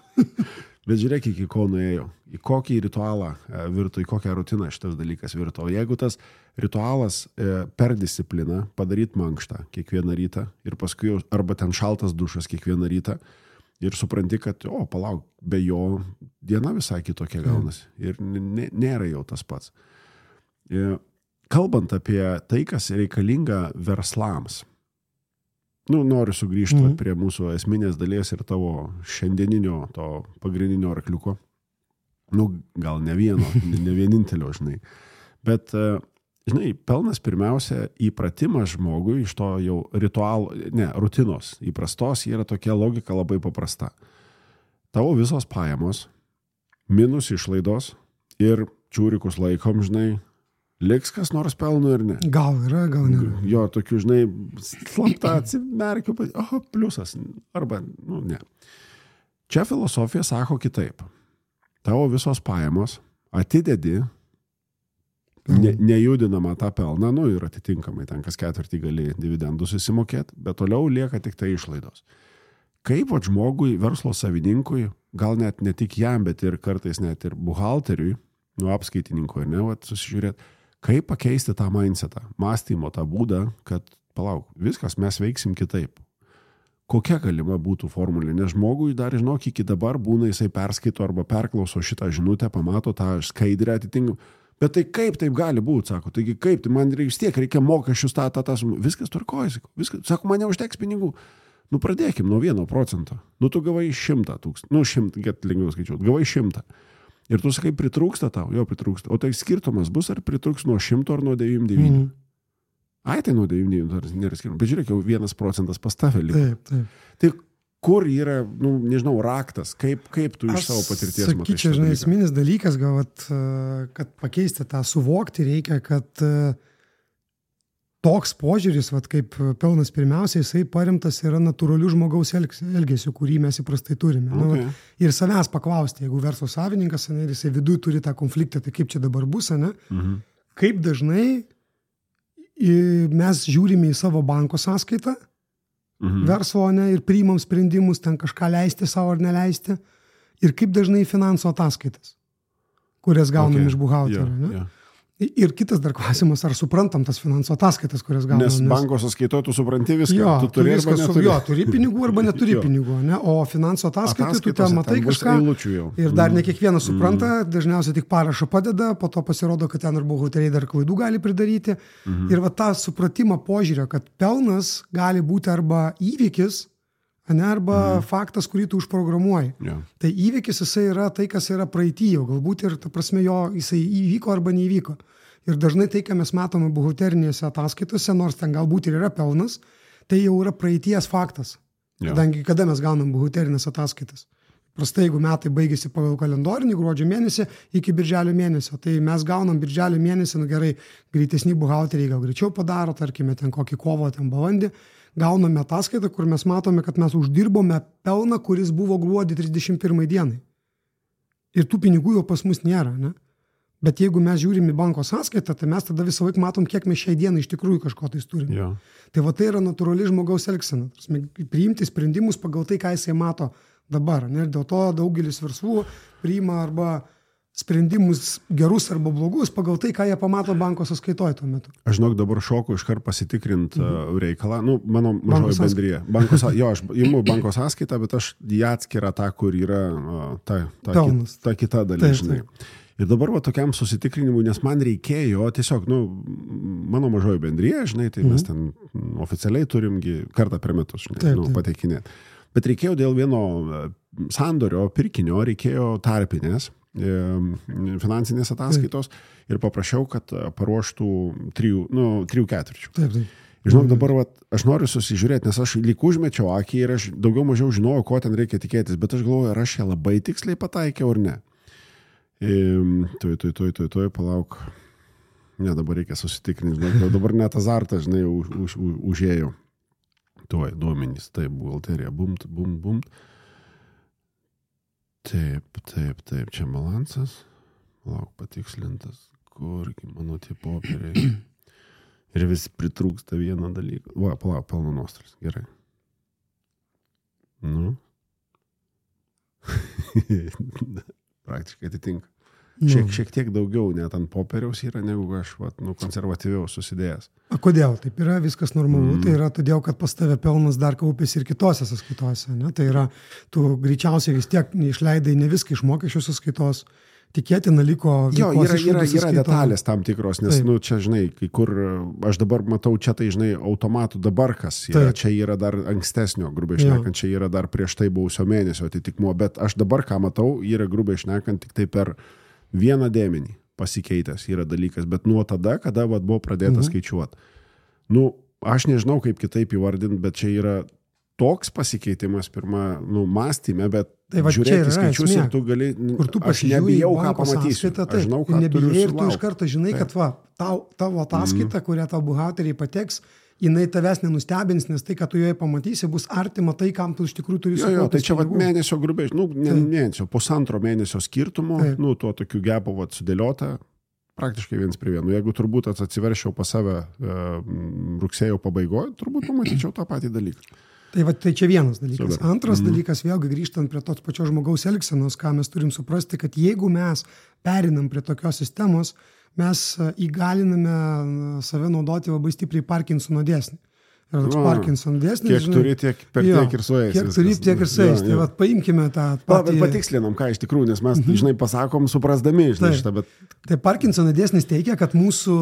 Bet žiūrėk, iki ko nuėjo. Į kokį ritualą virto, į kokią rutiną šitas dalykas virto. O jeigu tas ritualas per discipliną padaryti mankštą kiekvieną rytą ir paskui arba ten šaltas dušas kiekvieną rytą ir supranti, kad, palauk, be jo diena visai kitokia gaunasi. Ir nėra jau tas pats. Kalbant apie tai, kas reikalinga verslams, noriu sugrįžti prie mūsų esminės dalies ir tavo šiandieninio, to pagrindinio arkliuko. Gal ne vieno, ne vienintelio, žinai. Bet, žinai, pelnas pirmiausia įpratimas žmogui iš to jau rutinos įprastos yra tokia logika labai paprasta. Tavo visos pajamos, minus išlaidos ir čiūrikus laikom, žinai, liks kas nors pelno ir ne. Gal yra, gal nėra. Jo, tokių, žinai, slapta atsimerkiu, pliusas, arba, ne. Čia filosofija sako kitaip. Tavo visos pajamos atidedi, nejudinama tą pelną, ir atitinkamai ten kas ketvirtį gali dividendus įsimokėti, bet toliau lieka tik tai išlaidos. Kaip žmogui, verslo savininkui, gal net ne tik jam, bet ir kartais net ir buhalteriui, apskaitininkui, susižiūrėti, kaip pakeisti tą mindsetą, mąstymo tą būdą, kad, palauk, viskas, mes veiksim kitaip. Kokia galima būtų formulė? Nes žmogui dar, žinok, iki dabar būna jisai perskaito arba perklauso šitą žinutę, pamato tą skaidrę atitinkamą. Bet tai kaip taip gali būti, sako, taigi kaip, tai man vis tiek reikia mokesčius, viskas tvarkoja, sako, man neužteks pinigų. Pradėkim nuo 1%. Tu gavai 100 000, get lengviau skaičiuoti, gavai 100. Ir tu sakai, pritrūksta tau, jo pritrūksta. O tai skirtumas bus, ar pritrūks nuo 100 ar nuo 99? Ai, tai nuo 99 nėra skirtumas. Bet žiūrėk, jau 1% pas tave liko. Taip. Tai kur yra, nežinau, raktas, kaip tu iš savo patirties matai? Sakyčiau, žinai, esminis dalykas, gal, kad pakeisti tą suvokti reikia, kad toks požiūris, kaip pelnas pirmiausia, jisai paremtas yra natūralių žmogaus elgesių, kurį mes įprastai turime. Okay. Ir savęs paklausti, jeigu verslo savininkas, ir jisai viduje turi tą konfliktą, tai kaip čia dabar bus, kaip dažnai mes žiūrime į savo banko sąskaitą, verslo, ir priimam sprendimus, ten kažką leisti savo ar neleisti, ir kaip dažnai finansų ataskaitas, kurias gaunam iš buhalterio. Ir kitas dar klausimas, ar suprantam tas finansų ataskaitas, kurias gaunam. Nes banko sąskaitoje tu supranti viską. Jo, tu turi viską, arba neturi. Turi pinigų arba neturi pinigų. Ne? O finansų ataskaitai tu ten matai kažką. Ir dar ne kiekvienas supranta, dažniausiai tik parašą padeda, po to pasirodo, kad ten ir buhalteriai dar klaidų gali pridaryti. Ir tą supratimą požiūrio, kad pelnas gali būti arba įvykis, arba faktas, kurį tu užprogramuoji. Yeah. Tai įvykis jisai yra tai, kas yra praeityje, galbūt ir ta prasme jisai įvyko arba neįvyko. Ir dažnai tai, ką mes matome buhalterinėse ataskaitose, nors ten galbūt ir yra pelnas, tai jau yra praeities faktas. Yeah. Kadangi kada mes gaunam buhalterinės ataskaitas? Prastai, jeigu metai baigėsi pagal kalendorinį gruodžio mėnesį iki birželio mėnesio, tai mes gaunam birželio mėnesį, gerai, greitesni buhalteriai gal greičiau padaro, tarkime, ten kokį kovo, ten balandį, gauname ataskaitą, kur mes matome, kad mes uždirbome pelną, kuris buvo gruodį 31 dienai. Ir tų pinigų jau pas mus nėra, ne? Bet jeigu mes žiūrim į banko sąskaitą, tai mes tada visą laiką matom, kiek mes šiai dienai iš tikrųjų kažko tai turime. Yeah. Tai tai yra natūrali žmogaus elgsena. Priimti sprendimus pagal tai, ką jisai mato dabar. Ne? Ir dėl to daugelis verslų priima arba sprendimus gerus arba blogus pagal tai, ką jie pamato banko sąskaitoje tuo metu. Aš žinok, dabar šoku iškart pasitikrinti reikalą. Mano mažoji bendrija. Aš imu banko sąskaitą, bet aš ją atskirą tą, kur yra ta kita dalis. Ir dabar tokiam susitikrinimui, nes man reikėjo tiesiog, mano mažoji bendrija, žinai, tai mes ten oficialiai turimgi kartą per metus, žinai, pateikinėti. Bet reikėjo dėl vieno sandorio, pirkinio, reikėjo tarpinės finansinės ataskaitos ir paprašiau, kad paruoštų 3 ketvirčių. Taip. Žinok, dabar aš noriu susižiūrėti, nes aš lyg užmečiau akį ir aš daugiau mažiau žinojau, ko ten reikia tikėtis, bet aš galvoju, ar aš ją labai tiksliai pataikiau ar ne. Tuoj, palauk. Ne, dabar reikia susitikrinti, dabar net azartas, žinai, užėjau. Tuoj, duomenys, taip, buhalterija, bumt. Taip, čia balansas. Palauk, patikslintas, kurgi mano tie popieriai. Ir vis pritrūksta vieną dalyką. Va, palauk, pelno nuostolis. Gerai. Praktiškai atitinka. Šiek tiek daugiau net ant popieriaus yra, negu aš konservatyviau susidėjęs. A kodėl? Taip yra viskas normalu. Tai yra todėl, kad pas tave pelnas dar kaupėsi ir kitose sąskaitose. Ne? Tai yra, tu greičiausiai vis tiek neišleidai ne viską iš mokesčių sąskaitos. Tikėtina liko... Jo, yra detalės tam tikros, nes, čia, žinai, kai kur aš dabar matau čia, tai, žinai, automatų dabar kas yra, čia yra dar ankstesnio, grubiai šnekant, čia yra dar prieš tai buvusio mėnesio atitikmuo, bet aš dabar, ką matau, yra grubiai šnekant tik tai per vieną dėmenį pasikeitęs yra dalykas, bet nuo tada, kada buvo pradėta skaičiuoti. Aš nežinau, kaip kitaip įvardinti, bet čia yra toks pasikeitimas pirma, mąstyme, bet žiūrėti skaičius ir tu gali, aš nebijau, ką pamatysiu. Aš žinau, ką turiu sulaukti. Ir tu iš karto žinai, kad tavo ataskaita, kurią tau buhalteriai pateks, jinai tavęs nenustebins, nes tai, ką tu joje pamatysi, bus artima tai, kam tu iš tikrųjų turi sukaupti. Tai čia mėnesio grubiai, mėnesio, pusantro mėnesio skirtumo, tuo tokiu gepu sudėliota, praktiškai 1:1. Jeigu turbūt atsiveršiau pas save rugsėjo pabaigoje, turbūt pamatyčiau tą patį dalyką. Tai čia vienas dalykas. Antras dalykas, vėlgi grįžtant prie tos pačios žmogaus elgsenos, ką mes turim suprasti, kad jeigu mes perinam prie tokios sistemos, mes įgaliname save naudoti labai stipriai Parkinsono dėsnį. Ir toks Parkinsono dėsnis. Kiek turi, tiek ir sueis. Kiek turi, tiek ir sueis. Tai paimkime tą patį... Patikslinam, ką iš tikrųjų, nes mes, žinai, pasakom, suprasdami šitą, bet... Tai Parkinsono dėsnis teigia, kad mūsų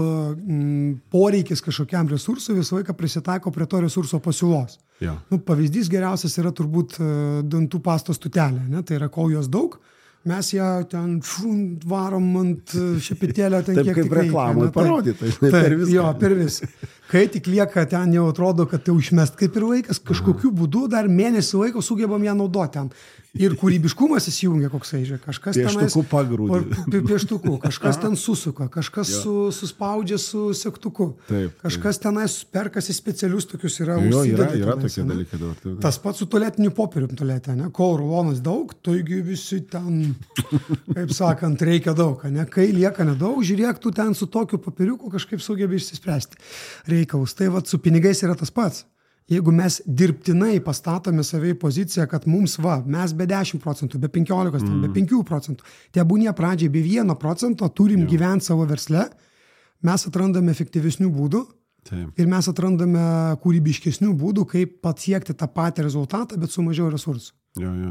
poreikis kažkokiam resursui visą laiką prisitaiko prie to resurso pasiūlos. Pavyzdys geriausias yra turbūt dantų pastos tutelė. Tai yra, kol jos daug, mes ją ten varom ant šepetėlio ten kiek tik reikia. Taip kaip reklamai parodyta, per viską. Jo, per viską. Kai tik lieka ten jau atrodo, kad tai užmest kaip ir vaikas, kažkokiu būdu dar mėnesį laiko sugebam ją naudoti ten. Ir kūrybiškumas įsijungia koksai, kažkas pieštuku pagrūdį. Pieštuku, kažkas ten susuka, kažkas suspaudžia su segtuku. Kažkas tenais perkasi specialius tokius yra užsidėti. Yra tokie dalykai dabar. Tas pats su tualetiniu popierium tualete, ne? Kol rulonas daug, taigi visi ten, kaip sakant, reikia daug, ne? Kai lieka nedaug, žiūrėk, tu ten su tokiu popieriuku kažkaip sugebi išsispręsti reikalus. Tai su pinigais yra tas pats. Jeigu mes dirbtinai pastatome save į poziciją, kad mums mes be 10%, be 15%, be 5%, tebūnie pradžiai be 1% turim gyventi savo versle, mes atrandame efektyvesnių būdų ir mes atrandame kūrybiškesnių būdų, kaip pasiekti tą patį rezultatą, bet su mažiau resursų.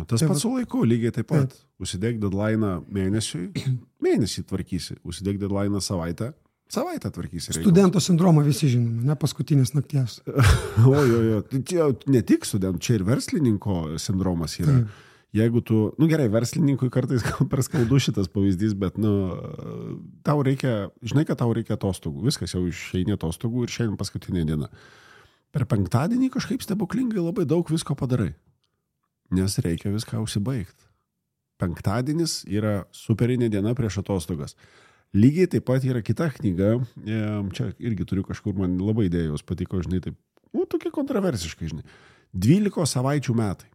Tas pats su laiku, lygiai taip pat. Užsidėk deadline mėnesį tvarkysi, užsidėk deadline savaitę tvarkysi. Studento sindromą visi žinome, ne paskutinės nakties. Ne tik studentų, čia ir verslininko sindromas yra. Jeigu tu, gerai, verslininkui kartais per skaudu šitas pavyzdys, bet, tau reikia, žinai, kad tau reikia atostogų. Viskas jau išeini atostogų ir šiandien paskutinė diena. Per penktadienį kažkaip stebuklingai labai daug visko padarai, nes reikia viską užsibaigti. Penktadienis yra superinė diena prieš atostogas. Lygiai taip pat yra kita knyga, čia irgi turiu kažkur, man labai idėjos patiko, žinai, taip, tokie kontroversiškai, žinai, 12 savaičių metai.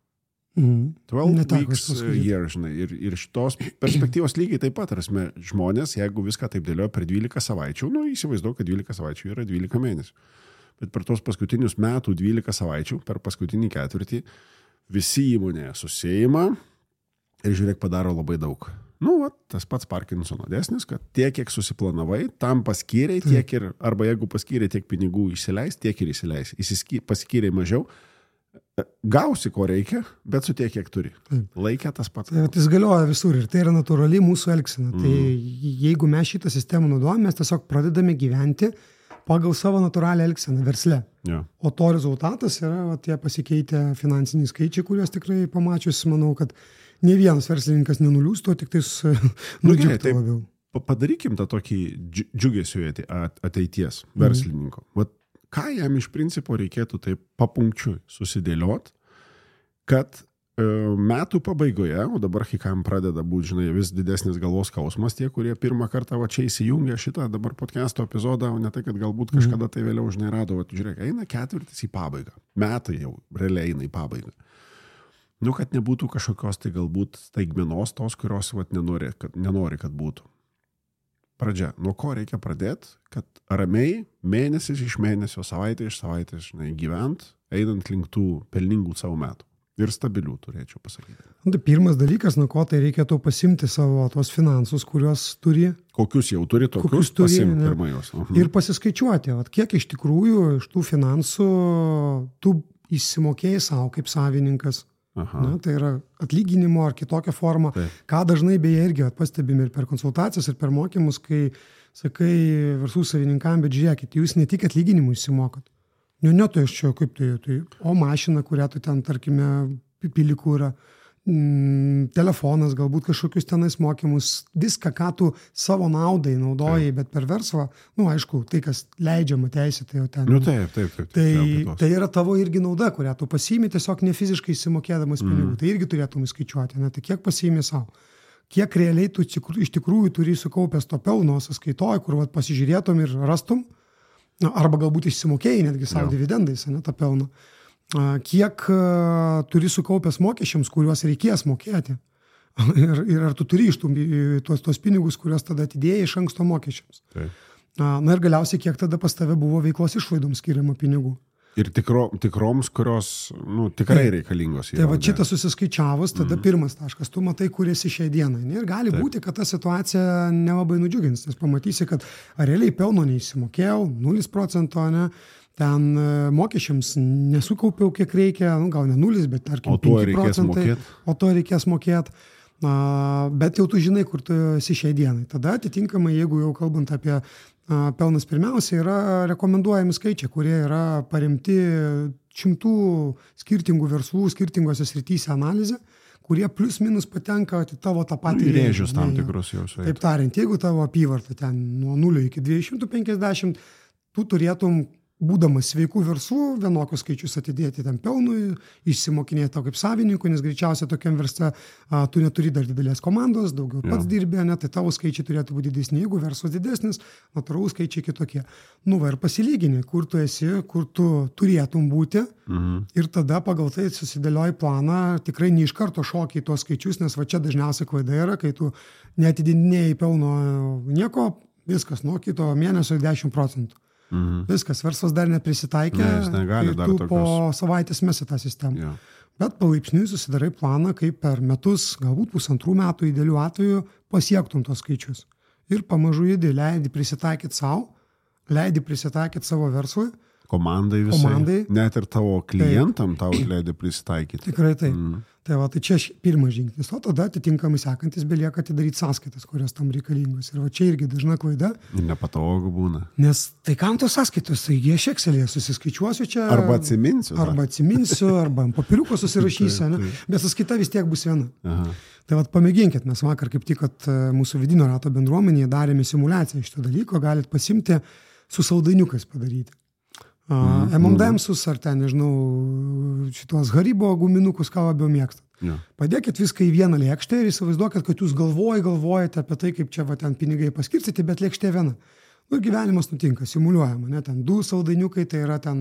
12 weeks year, žinai, ir šitos perspektyvos lygiai taip pat, rasme, žmonės, jeigu viską taip dėlioja per 12 savaičių, įsivaizduoju, kad 12 savaičių yra 12 mėnesių. Bet per tos paskutinius metų 12 savaičių, per paskutinį ketvirtį, visi įmonėje susėjimą ir žiūrėk, padaro labai daug. Tas pats Parkinsono dėsnis, kad tiek, kiek susiplanavai, tam paskyrei, tiek ir, arba jeigu paskyrei tiek pinigų išsileis, tiek ir išsileis. Paskyrei mažiau, gausi, ko reikia, bet su tiek, kiek turi. Laikė tas pats. Tai galioja visur ir tai yra natūrali mūsų elgsena. Tai jeigu mes šitą sistemą naudojame, mes tiesiog pradedame gyventi pagal savo natūralią elgseną versle. Ja. O to rezultatas yra tie pasikeitę finansiniai skaičiai, kuriuos tikrai pamačius, manau, kad ne vienas verslininkas nenuliūstų, tik tais nudžiugtų labiau. Padarykim tą tokį džiugesio ateities verslininko. Vat, ką jam iš principo reikėtų taip papunkčiui susidėliot, kad metų pabaigoje, o dabar kai kam pradeda būti, žinai, vis didesnis galvos skausmas, tie, kurie pirmą kartą va čia įsijungia šitą dabar podcast'o epizodą, o ne tai, kad galbūt kažkada tai vėliau žinai rado, žiūrėk, eina ketvirtis į pabaigą, metai jau realiai eina į pabaigą. Nu, kad nebūtų kažkokios tai galbūt staigmenos tos, kurios vat, nenori, kad būtų. Pradžia. Nuo ko reikia pradėti, kad ramiai mėnesis iš mėnesio, savaitė iš savaitės, žinai, gyvent, einant link tų pelningų savo metų. Ir stabilių, turėčiau pasakyti. Tai pirmas dalykas, nuo ko tai reikėtų pasimti savo tos finansus, kuriuos turi. Kokius jau turi, tokius pasimti pirmą jos. Ir pasiskaičiuoti, kiek iš tikrųjų iš tų finansų tu įsimokėjai savo kaip savininkas. Na, tai yra atlyginimo ar kitokia forma. Taip. Ką dažnai beje irgi pastebime ir per konsultacijas, ir per mokymus, kai sakai verslų savininkam, bet žiūrėkit, jūs ne tik atlyginimų įsimokat. Ne, tai aš čia kaip tai, o mašina, kurią tu ten, tarkime, pilikų yra, telefonas, galbūt kažkokius tenais mokymus, viską, ką tu savo naudai naudojai, bet per verslą, aišku, tai, kas leidžiama teisė, tai jau ten. Taip. Tai yra tavo irgi nauda, kurią tu pasiimi tiesiog ne fiziškai įsimokėdamas pinigų. Tai irgi turėtum įskaičiuoti, tai kiek pasiimi savo. Kiek realiai tu iš tikrųjų turi sukaupęs to pelno sąskaitoj, kur pasižiūrėtum ir rastum, arba galbūt išsimokėjai netgi savo dividendais, tą pelną. Kiek turi sukaupęs mokesčiams, kuriuos reikės mokėti. Ir ar tu turi iš tuos pinigus, kuriuos tada atidėjai iš anksto mokesčiams. Taip. Ir galiausiai, kiek tada pas tave buvo veiklos išlaidoms skiriama pinigų. Ir tikroms, kurios tikrai reikalingos. Tai va šitą susiskaičiavus, tada pirmas taškas, tu matai, kur esi šiai dienai. Ir gali būti, kad ta situacija nelabai nudžiugins, nes pamatysi, kad realiai pelno neįsimokėjau, 0%, ne? Ten mokesčiams nesukaupiau, kiek reikia, gal ne 0, bet tarkim 5%, o to reikės mokėti. Bet jau tu žinai, kur tu esi šiai dienai. Tada atitinkamai, jeigu jau kalbant apie pelnas pirmiausia, yra rekomenduojami skaičiai, kurie yra paremti 100 skirtingų verslų, skirtingose srityse analizė, kurie plus minus patenka į tavo tą patį rėžius tam tikrus jau. Taip tariant, jeigu tavo apyvarta ten nuo 0 iki 250, tu turėtum, būdamas sveikų verslų, vienokius skaičius atidėti ten pelnui, išsimokinėti to kaip savininkų, nes greičiausiai tokiam versle tu neturi dar didelės komandos, daugiau pats dirbė, tai tavo skaičiai turėtų būti didesni, jeigu verslas didesnis, natūralūs skaičiai kitokie. Ir pasilygini, kur tu esi, kur tu turėtum būti ir tada pagal tai susidėlioji planą, tikrai ne iš karto šokiai tuos skaičius, nes va čia dažniausiai klaida yra, kai tu neatidinėjai pelno nieko, viskas, nuo kito mėnesio 10%. Viskas, verslas dar neprisitaikė, tu po savaitės mesi tą sistemą. Bet palaipsniui susidarai planą, kaip per metus, galbūt 1,5 metų idealių atveju pasiektum tos skaičius. Ir pamažu leidi prisitaikyti savo, leidi prisitaikyti savo verslui. Komandai visai, net ir tavo klientam tau leidi prisitaikyti. Tikrai taip. Tai čia pirmas žingsnis, o tada atitinkamai sekantis belieka atidaryti sąskaitas, kurios tam reikalingos. Ir va čia irgi dažna klaida. Ir nepatogu būna. Nes tai kam tos sąskaitos, taigi aš Excel'e susiskaičiuosiu čia. Arba atsiminsiu, arba ant papiriuko susirašysiu, bet sąskaita vis tiek bus viena. Tai pamėginkit, mes vakar kaip tik, kad mūsų vidinio rato bendruomenėje darėme simulaciją šito dalyko, galit pasimti su saldainiukais padaryti. M&M'sus ar ten, nežinau, šitos Haribo guminukus, ką labiau mėgstat. Padėkit viską į vieną lėkštę ir įsivaizduokit, kad jūs galvojate apie tai, kaip čia ten pinigai paskirstyti, bet lėkštė viena. Gyvenimas nutinka, simuliuojama, ten 2 saldainiukai, tai yra ten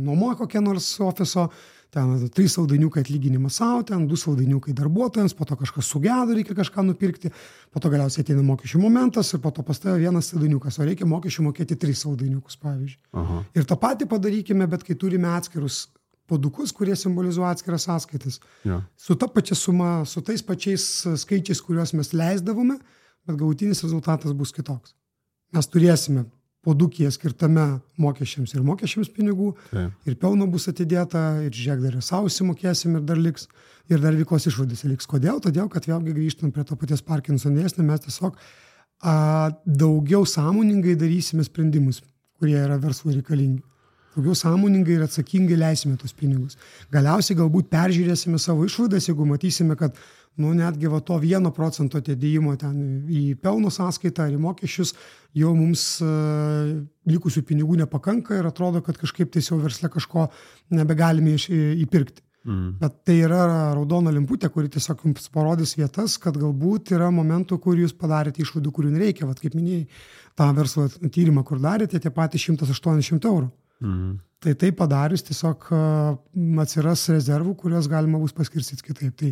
nuoma kokia nors ofiso, ten 3 saldainiukai atlyginimas savo, ten 2 saldainiukai darbuotojams, po to kažkas sugedo, reikia kažką nupirkti, po to galiausiai ateina mokesčių momentas ir po to pas tave 1 saldainiukas, o reikia mokesčių mokėti 3 saldainiukus, pavyzdžiui. Ir tą patį padarykime, bet kai turime atskirus puodukus, kurie simbolizuoja atskiras sąskaitas. Su ta pačia suma, su tais pačiais skaičiais, kuriuos mes leisdavome, bet galutinis rezultatas bus kitoks. Mes turėsime puodukyje skirtame mokesčiams ir mokesčiams pinigų, ir pelno bus atidėta, ir žiūrėk, dar ir savo įsimokėsim, ir dar liks, ir dar veiklos išlaidose liks. Kodėl? Todėl, kad vėlgi grįžtant prie to paties Parkinson dėsnio, mes tiesiog daugiau sąmoningai darysime sprendimus, kurie yra verslui reikalingi. Daugiau sąmoningai ir atsakingai leisime tos pinigus. Galiausiai galbūt peržiūrėsime savo išlaidas, jeigu matysime, kad netgi to 1% atidėjimo ten į pelno sąskaitą ar į mokesčius, jau mums likusių pinigų nepakanka ir atrodo, kad kažkaip tai jau versle kažko nebegalime įpirkti. Bet tai yra raudona lemputė, kuri tiesiog jums parodys vietas, kad galbūt yra momentų, kur jūs padarėte išlaidų, kurių nereikia. Vat kaip minėjai, tą verslo tyrimą, kur darėte, tie patys 180 eurų. Tai padarius tiesiog atsiras rezervų, kurios galima bus paskirstyti kitaip. Tai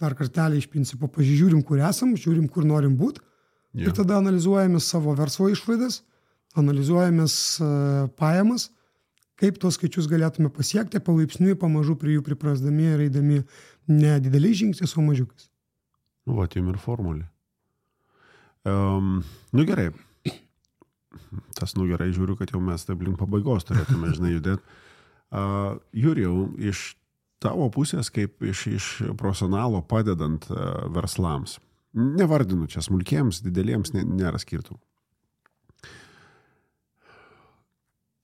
dar kartelį iš principo pasižiūrim, kur esam, žiūrim, kur norim būti ir tada analizuojame savo verslo išlaidas, analizuojame pajamas, kaip tos skaičius galėtume pasiekti, palaipsniui pamažu prie jų priprasdami ir eidami ne dideliais žingsniais, o mažiukais. Jum ir formulė. Gerai. Gerai, žiūriu, kad jau mes taip link pabaigos turėtume, judėti. Jurijau, iš tavo pusės, kaip iš profesionalo padedant verslams, nevardinu čia smulkiems, dideliems, nėra skirtumų.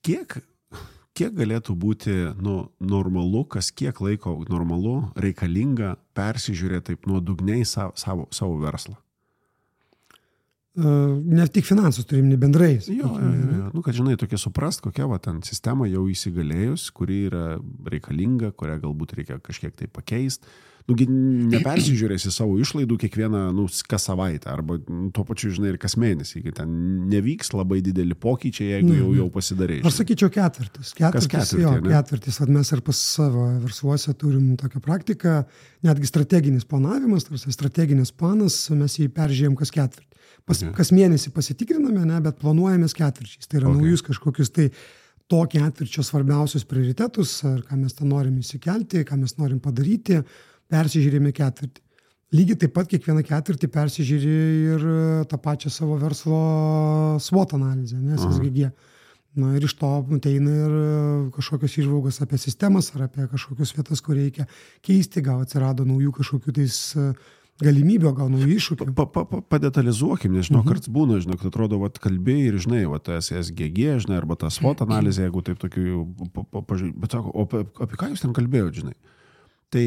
Kiek galėtų būti normalu, kas kiek laiko normalu, reikalinga persižiūrėti taip nuodugniai savo verslą? Ne tik finansus turim, ne bendrai. Kad žinai, tokia suprast, kokia ten sistema jau įsigalėjus, kuri yra reikalinga, kurią galbūt reikia kažkiek tai pakeisti. Nepersižiūrėsi savo išlaidų kiekvieną, kas savaitę, arba tuo pačiu, žinai, ir kas mėnesį, kai ten nevyks labai dideli pokyčiai, jeigu jau pasidarei. Aš sakyčiau ketvirtis. Ketvirtis. Mes ir pas savo versluose turim tokią praktiką, netgi strateginis planavimas, strateginis planas, mes jį peržiūrėjom kas ketvirtį. Kas mėnesį pasitikriname, bet planuojamės ketvirčiais. Tai yra naujus kažkokius tai to ketvirčio svarbiausius prioritetus, ar ką mes ten norim įsikelti, ką mes norim padaryti, persižiūrėjome ketvirtį. Lygiai taip pat kiekvieną ketvirtį persižiūrė ir tą pačią savo verslo SWOT analizę, SSGG. Ir iš to ateina ir kažkokios įžvalgos apie sistemas ar apie kažkokios vietas, kur reikia keisti, gal atsirado naujų kažkokių tais galimybių, gal naujų iššūkių. Padetalizuokim, nežinau, karts būna, žinau, kad atrodo, kalbėjai ir, žinai, SSGG, žinai, arba ta SWOT analizė, jeigu taip tokių, bet sako, apie ką jūs ten kalbėjote, žinai? Tai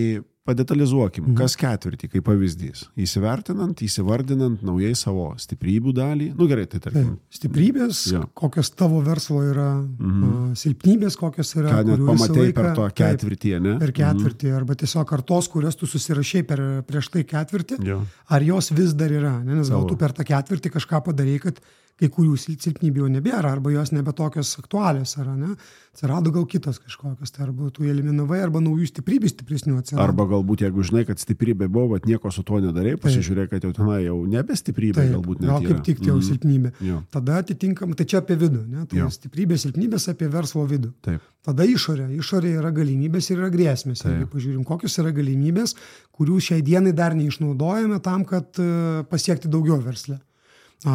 padetalizuokim, kas ketvirtį, kaip pavyzdys. Įsivardinant naujai savo stiprybių dalį. Gerai, tai tarkim. Stiprybės, kokios tavo verslo yra, silpnybės, kokios yra. Ką net pamatai per to ketvirtį, ne? Per ketvirtį, arba tiesiog ar tos, kurias tu susirašai prieš tai ketvirtį, ar jos vis dar yra. Nes gal tu per tą ketvirtį kažką padarai, kad kai kurių silpnybių jau nebėra, arba jos nebe tokios aktualios, ar ne? Atsirado gal kitos kažkokios, tai arba tu eliminavai, arba naujų stiprybių stipresnių atsirado. Arba galbūt, jeigu žinai, kad stiprybė buvo, bet nieko su tuo nedarai, pasižiūrėk, kad jau tenai jau nebe stiprybė, galbūt net yra. Gal kaip tik jau silpnybė. Tada atitinkamai, tai čia apie vidų, ne? Tai stiprybė, silpnybės apie verslo vidų. Tada išorė. Išorė yra galimybės ir yra grėsmės. Jeigu pažiūrim, kokios yra galimybės, kurių šiai dienai dar neišnaudojame tam, kad pasiekti daugiau versle.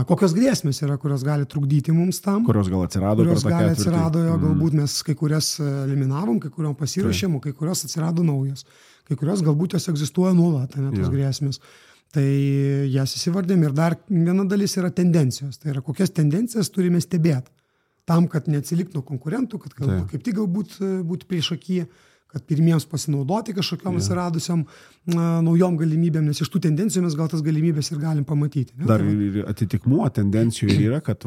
Kokios grėsmės yra, kurios gali trukdyti mums tam. Kurios gal atsirado per tą ketvirtį. Galbūt mes kai kurias eliminavom, kai kuriom pasirašėm, kai kurios atsirado naujos. Kai kurios galbūt jos egzistuoja nuolat, tos grėsmės. Tai jas įsivardėm ir dar viena dalis yra tendencijos. Tai yra, kokias tendencijas turime stebėti. Tam, kad neatsiliktų konkurentų, kad kaip tik galbūt būti priešakyje, kad pirmiems pasinaudoti kažkokiam atsiradusiam naujom galimybėm, nes iš tų tendencijų mes gal tas galimybės ir galim pamatyti. Ne? Dar ir atitikmuo tendencijų yra, kad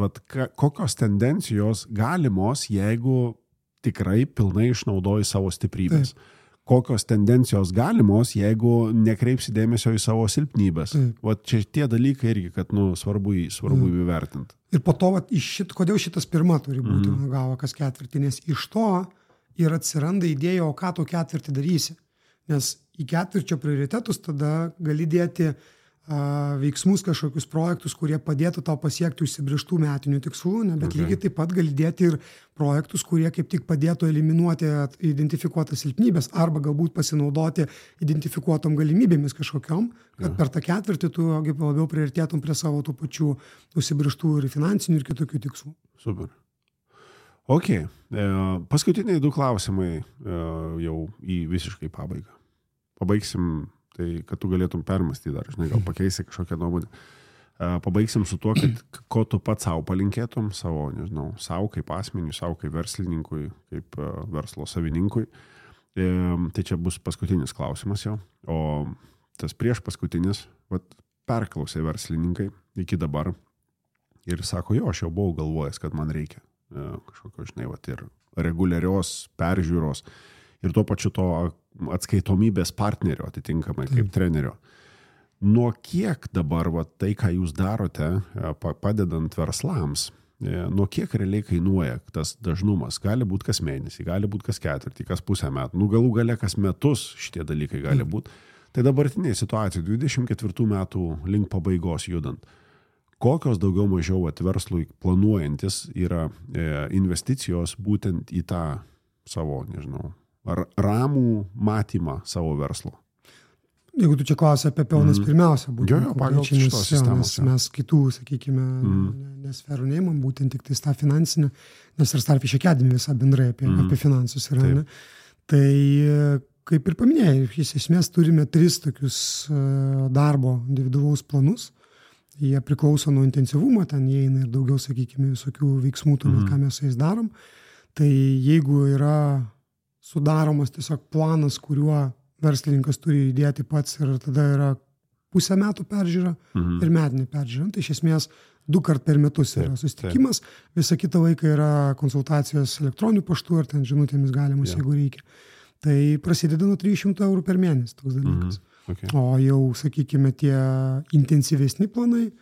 kokios tendencijos galimos, jeigu tikrai pilnai išnaudoji savo stiprybės. Kokios tendencijos galimos, jeigu nekreipsi dėmesio į savo silpnybės. Čia tie dalykai irgi, kad svarbu įvertinti. Ir po to, kodėl šitas pirma turi būti, gavo kas ketvirtį, nes iš to ir atsiranda idėja, o ką tu ketvirtį darysi. Nes į ketvirčio prioritetus tada gali dėti veiksmus, kažkokius projektus, kurie padėtų tau pasiekti užsibrėžtų metinių tikslų, bet lygiai taip pat gali dėti ir projektus, kurie kaip tik padėtų eliminuoti identifikuotas silpnybės arba galbūt pasinaudoti identifikuotom galimybėmis kažkokiom, kad per tą ketvirtį tu labiau priartėtum prie savo tų pačių užsibrėžtų ir finansinių ir kitokių tikslų. Super. Ok, paskutiniai 2 klausimai jau į visiškai pabaigą. Pabaigsim, tai kad tu galėtum permastyti dar, žinai, gal pakeisi kažkokią nuomonę. Pabaigsim su tuo, kad ko tu pats savo palinkėtum, savo, nežinau, savo kaip asmeniui, savo kaip verslininkui, kaip verslo savininkui. Tai čia bus paskutinis klausimas jau. O tas prieš paskutinis, perklausė verslininkai iki dabar ir sako, jo, aš jau buvau galvojęs, kad man reikia kažkokio, žinai, ir reguliarios peržiūros ir tuo pačiu to atskaitomybės partnerio atitinkamai kaip trenerio. Nuo kiek dabar tai, ką jūs darote, padedant verslams, nuo kiek realiai kainuoja tas dažnumas? Gali būti kas mėnesį, gali būti kas ketvirtį, kas pusę metų, galų gale kas metus šitie dalykai gali būti. Tai dabartinėje situacijoje, 24 metų link pabaigos judant, kokios daugiau mažiau verslui planuojantis yra investicijos būtent į tą savo, nežinau, ramų matymą savo verslo? Jeigu tu čia klausi apie pelnas pirmiausia, būtent pagal šitos sistemos. Mes kitų, sakykime, nesferų neimam, būtent tik tai tą finansinę, nes ir Starfish Academy visą bendrai apie finansus yra. Ne? Tai kaip ir paminėjai, iš esmės turime 3 tokius darbo individualaus planus. Jie priklauso nuo intensyvumo, ten įeina ir daugiau, sakykime, visokių veiksmų, tuomet, ką mes su jais darom. Tai jeigu yra sudaromas tiesiog planas, kuriuo verslininkas turi įdėti pats ir tada yra pusę metų peržiūra ir metinė peržiūra. Tai iš esmės 2 kart per metus yra susitikimas, visą kitą laiką yra konsultacijos elektroniniu paštu ar ten žinutėmis galimus, jeigu reikia. Tai prasideda nuo 300 eurų per mėnesį toks dalykas. Okay. O jau, sakykime, tie intensyvesni planai,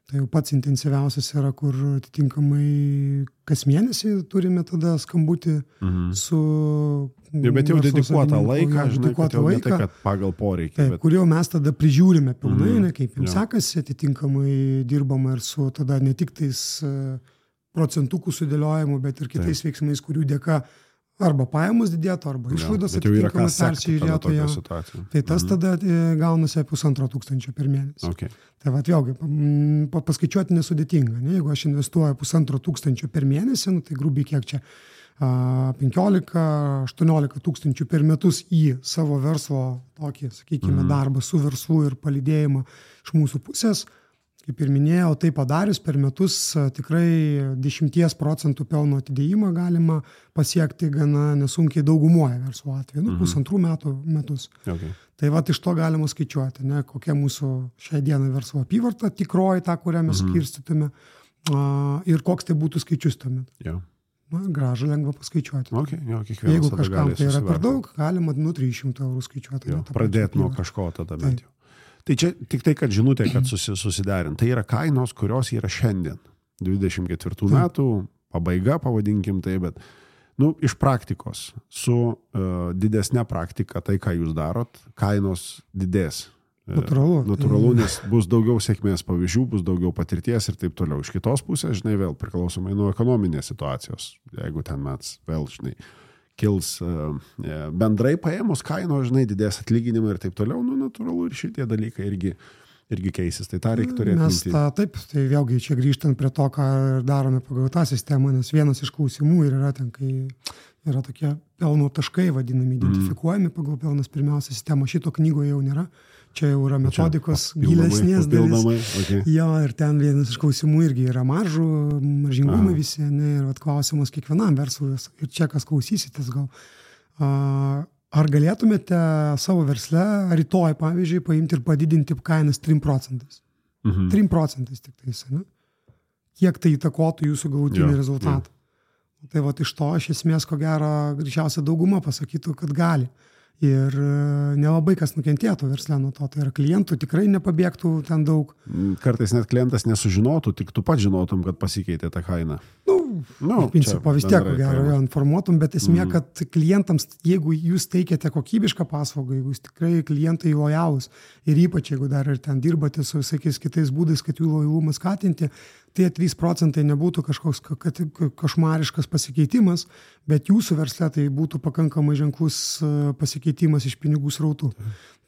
tai jau pats intensyviausias yra, kur atitinkamai kas mėnesį turime tada skambutį su... Bet jau dedikuotą laiką, žinai, kad jau ne tai, kad pagal poreikį. Taip, kur jau mes tada prižiūrime pilnai, kaip jums sekasi, atitinkamai dirbama ir su tada ne tik tais procentukų sudėliojimu, bet ir kitais veiksmais, kurių dėka arba pajamos didėtų, arba išlaidos atitinkamai persižiūrėtų. Tai tas tada gaunasi 1500 per mėnesį. Okay. Tai vėlgi, paskaičiuoti nesudėtinga. Ne? Jeigu aš investuoju 1500 per mėnesį, tai grubiai kiek čia 15-18 tūkstančių per metus į savo verslo tokį, sakykime, darbą su verslu ir palydėjimą iš mūsų pusės. Kaip ir minėjau, tai padarius per metus tikrai 10% pelno atidėjimą galima pasiekti gana nesunkiai daugumoje verslo atveju, 1,5 metus. Okay. Tai iš to galima skaičiuoti, ne, kokia mūsų šią dieną verslo apyvarta, tikroji tą, kurią mes skirstytume, ir koks tai būtų skaičius tuomet. Yeah. Gražu lengva paskaičiuoti. Okay, jeigu kažkam tai yra per daug, galima 300 eurų skaičiuoti. Pradėti nuo kažko tada bent jau. Tai čia tik tai, kad žinutė, kad susiderint. Tai yra kainos, kurios yra šiandien. 24 metų pabaiga, pavadinkim tai, bet iš praktikos, su didesnė praktika, tai, ką jūs darot, kainos didės. Natūralu, nes bus daugiau sėkmės pavyzdžių, bus daugiau patirties ir taip toliau. Iš kitos pusės, žinai, vėl priklausomai nuo ekonominės situacijos. Jeigu ten mes vėl, žinai, kils bendrai paėmus kainos, žinai, didės atlyginimai ir taip toliau, natūralu ir šitie dalykai irgi keisis. Tai tą reikia turėti minty. Taip, tai vėlgi čia grįžtant prie to, ką darome pagal tą sistemą, nes vienas iš klausimų yra ten, kai yra tokie pelno taškai vadinami, identifikuojami pagal pelnas pirmiausia sistema. Šito knygoje jau nėra. Čia jau yra metodikos gilesnės dalis. Okay. Jo, ir ten vienas iš klausimų irgi yra maržingumai visi, ne, ir klausimas kiekvienam verslui. Ir čia kas klausysitės gal. Ar galėtumėte savo versle rytoj, pavyzdžiui, paimti ir padidinti kainas 3%? 3% tik tais, ne? Kiek tai įtakotų jūsų galutinį rezultatą? Tai iš to, iš esmės, ko gero, greičiausia dauguma pasakytų, kad gali. Ir nelabai kas nukentėtų versle nuo to. Tai yra klientų tikrai nepabėgtų ten daug. Kartais net klientas nesužinotų, tik tu pat žinotum, kad pasikeitė ta kaina. Iš principo vis tiek, gero, informuotum, bet esmė, kad klientams, jeigu jūs teikiate kokybišką paslaugą, jeigu jūs tikrai klientai lojalūs ir ypač, jeigu dar ir ten dirbate su visokiais kitais būdais, kad jų lojalumą skatinti, tie 3% nebūtų kažkoks košmariškas pasikeitimas, bet jūsų versle tai būtų pakankamai ženklus pasikeitimas iš pinigų srautų.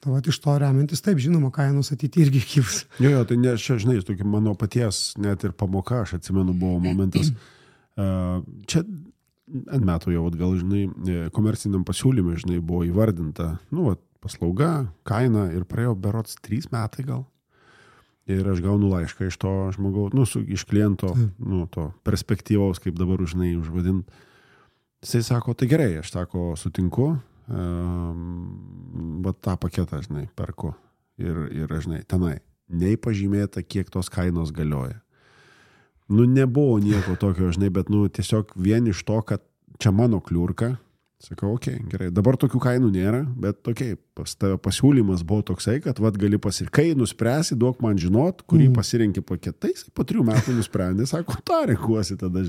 Tai iš to remiantis, taip, žinoma, kainos ateity irgi kils. Jo, tai ne, čia, žinai, tokia mano paties net ir pamoka, aš atsimenu, buvo momentas. Čia ant metų jau atgal, žinai, komerciniam pasiūlymui, žinai, buvo įvardinta, paslauga, kaina ir praėjo berods 3 metai gal. ir aš gaunu laišką iš to žmogaus, iš kliento, to perspektyvaus, kaip dabar užvadint. Jisai sako, tai gerai, aš sutinku, bet tą paketą, perku ir tenai. Nei pažymėta, kiek tos kainos galioja. Nebuvo nieko tokio, bet tiesiog vien iš to, kad čia mano kliurka, sakau, gerai, dabar tokių kainų nėra, bet pas tave pasiūlymas buvo toksai, kad gali kai nuspręsi, duok man žinot, kurį pasirenki paketais, po 3 metų nusprendė, sako, tą renkuosi tada,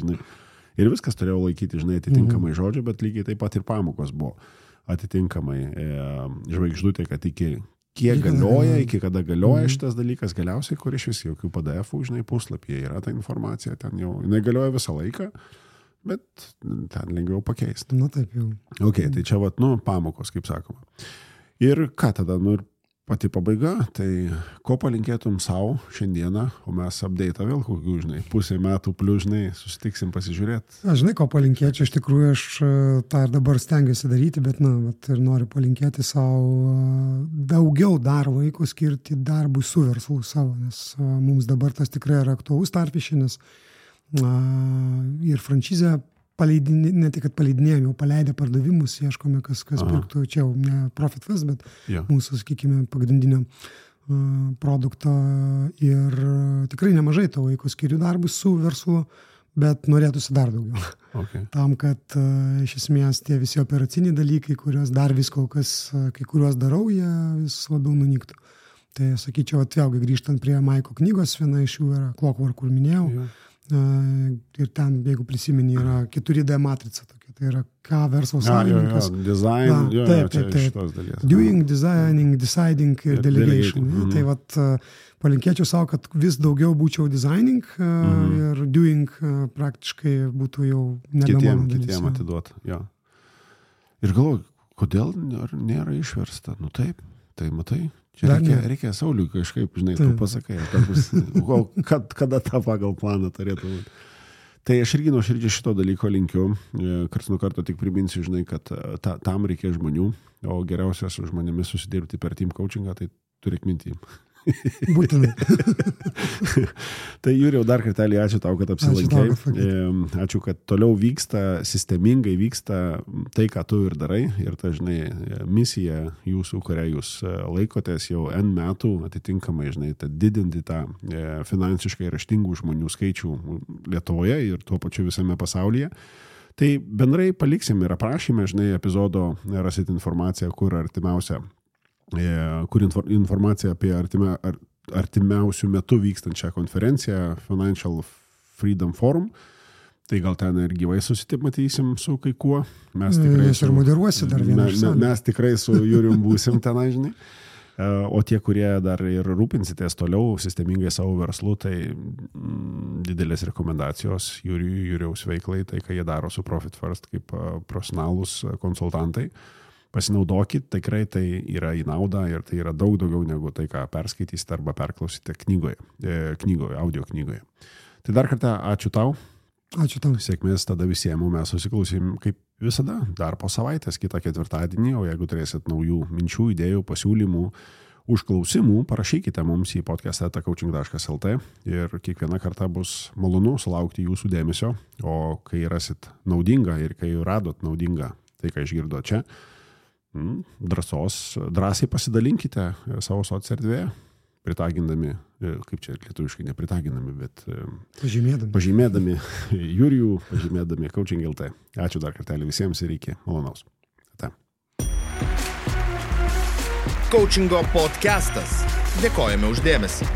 Ir viskas turėjau laikyti, atitinkamai žodžio, bet lygiai taip pat ir pamokos buvo atitinkamai žvaigždutė, kad iki kiek galioja, iki kada galioja šitas dalykas, galiausiai, kur iš vis jokių PDF-ų, puslapyje yra ta informacija, ten jau negalioja visą laiką, bet ten lengviau pakeisti. Taip jau. Tai čia pamokos, kaip sakoma. Ir ką tada, ir pati pabaiga, tai ko palinkėtum savo šiandieną, o mes update'ą vėl kokių, pusę metų plius, susitiksim pasižiūrėti. Aš ko palinkėčiau, iš tikrųjų aš tą ir dabar stengiuosi daryti, bet ir noriu palinkėti savo daugiau dar laiko skirti darbui su verslu savo, nes mums dabar tas tikrai yra aktualus tarpišinis ir franšizę ne tik, kad paleidinėjom, jau paleidę pardavimus, ieškome, kas pirktų, čia jau ne Profit Fest, bet mūsų, sakykime, pagrindinio produkto ir tikrai nemažai to laiko skiriu darbus su verslu, bet norėtųsi dar daugiau. Tam, kad iš esmės tie visi operaciniai dalykai, kuriuos dar vis kol kas, kai kuriuos darau, jie vis labiau nunyktų. Tai sakyčiau, vėlgi grįžtant prie Maiko knygos, viena iš jų yra Clockwork, kur minėjau. Ir ten, jeigu prisimeni, yra 4D matrica tokia, tai yra ką verslo savininkas. Design, šitos dalies. Doing, designing, deciding ir delegation. Tai palinkėčiau savo, kad vis daugiau būčiau designing ir doing praktiškai būtų jau nebe mano dalis. Kitiem atiduot, Ir galvoju, kodėl nėra išversta? Taip, tai matai. Čia reikia Sauliui kažkaip, tu pasakai, kada tą pagal planą turėtų būti. Tai aš irgi nuoširdžiai šito dalyko linkiu, karts nuo karto tik priminsiu, kad tam reikia žmonių, o geriausia su žmonėmis susidirbti per team coachingą, tai turėk mintį. Būtinai. Tai Jurijau, dar kartelį ačiū tau, kad apsilankai. Ačiū, kad toliau sistemingai vyksta tai, ką tu ir darai. Ir ta, misija jūsų, kurią jūs laikotės jau N metų, atitinkamai, didinti tą finansiškai raštingų žmonių skaičių Lietuvoje ir tuo pačiu visame pasaulyje. Tai bendrai paliksim ir aprašyme, epizodo rasit informaciją, kur artimiausia informacija apie artimiausių metų vykstančią konferenciją Financial Freedom Forum. Tai gal ten ir gyvai susitimatysim su kai kuo. Mes tikrai su Jurijum būsim ten, O tie, kurie dar ir rūpinsitės toliau sistemingai savo verslu, tai didelės rekomendacijos Jurijaus veiklai, tai ką jie daro su Profit First kaip profesionalūs konsultantai. Pasinaudokit, tikrai tai yra į naudą ir tai yra daug daugiau negu tai, ką perskaitysite arba perklausite audio knygoje. Tai dar kartą ačiū tau. Ačiū tau. Sėkmės tada visiems, mes susiklausim kaip visada, dar po savaitės, kitą ketvirtadienį, o jeigu turėsit naujų minčių, idėjų, pasiūlymų, užklausimų, parašykite mums į podcast@coaching.lt ir kiekvieną kartą bus malonu sulaukti jūsų dėmesio, o kai rasit naudingą ir kai radot naudingą tai, ką išgirdo čia, drąsiai pasidalinkite savo socierdvėje, pritagindami, kaip čia lietuviškai nepritagindami, bet pažymėdami Jurijų, pažymėdami Coaching.lt. Ačiū dar kartelį visiems ir iki malonaus. Coachingo podcastas. Dėkojame už dėmesį.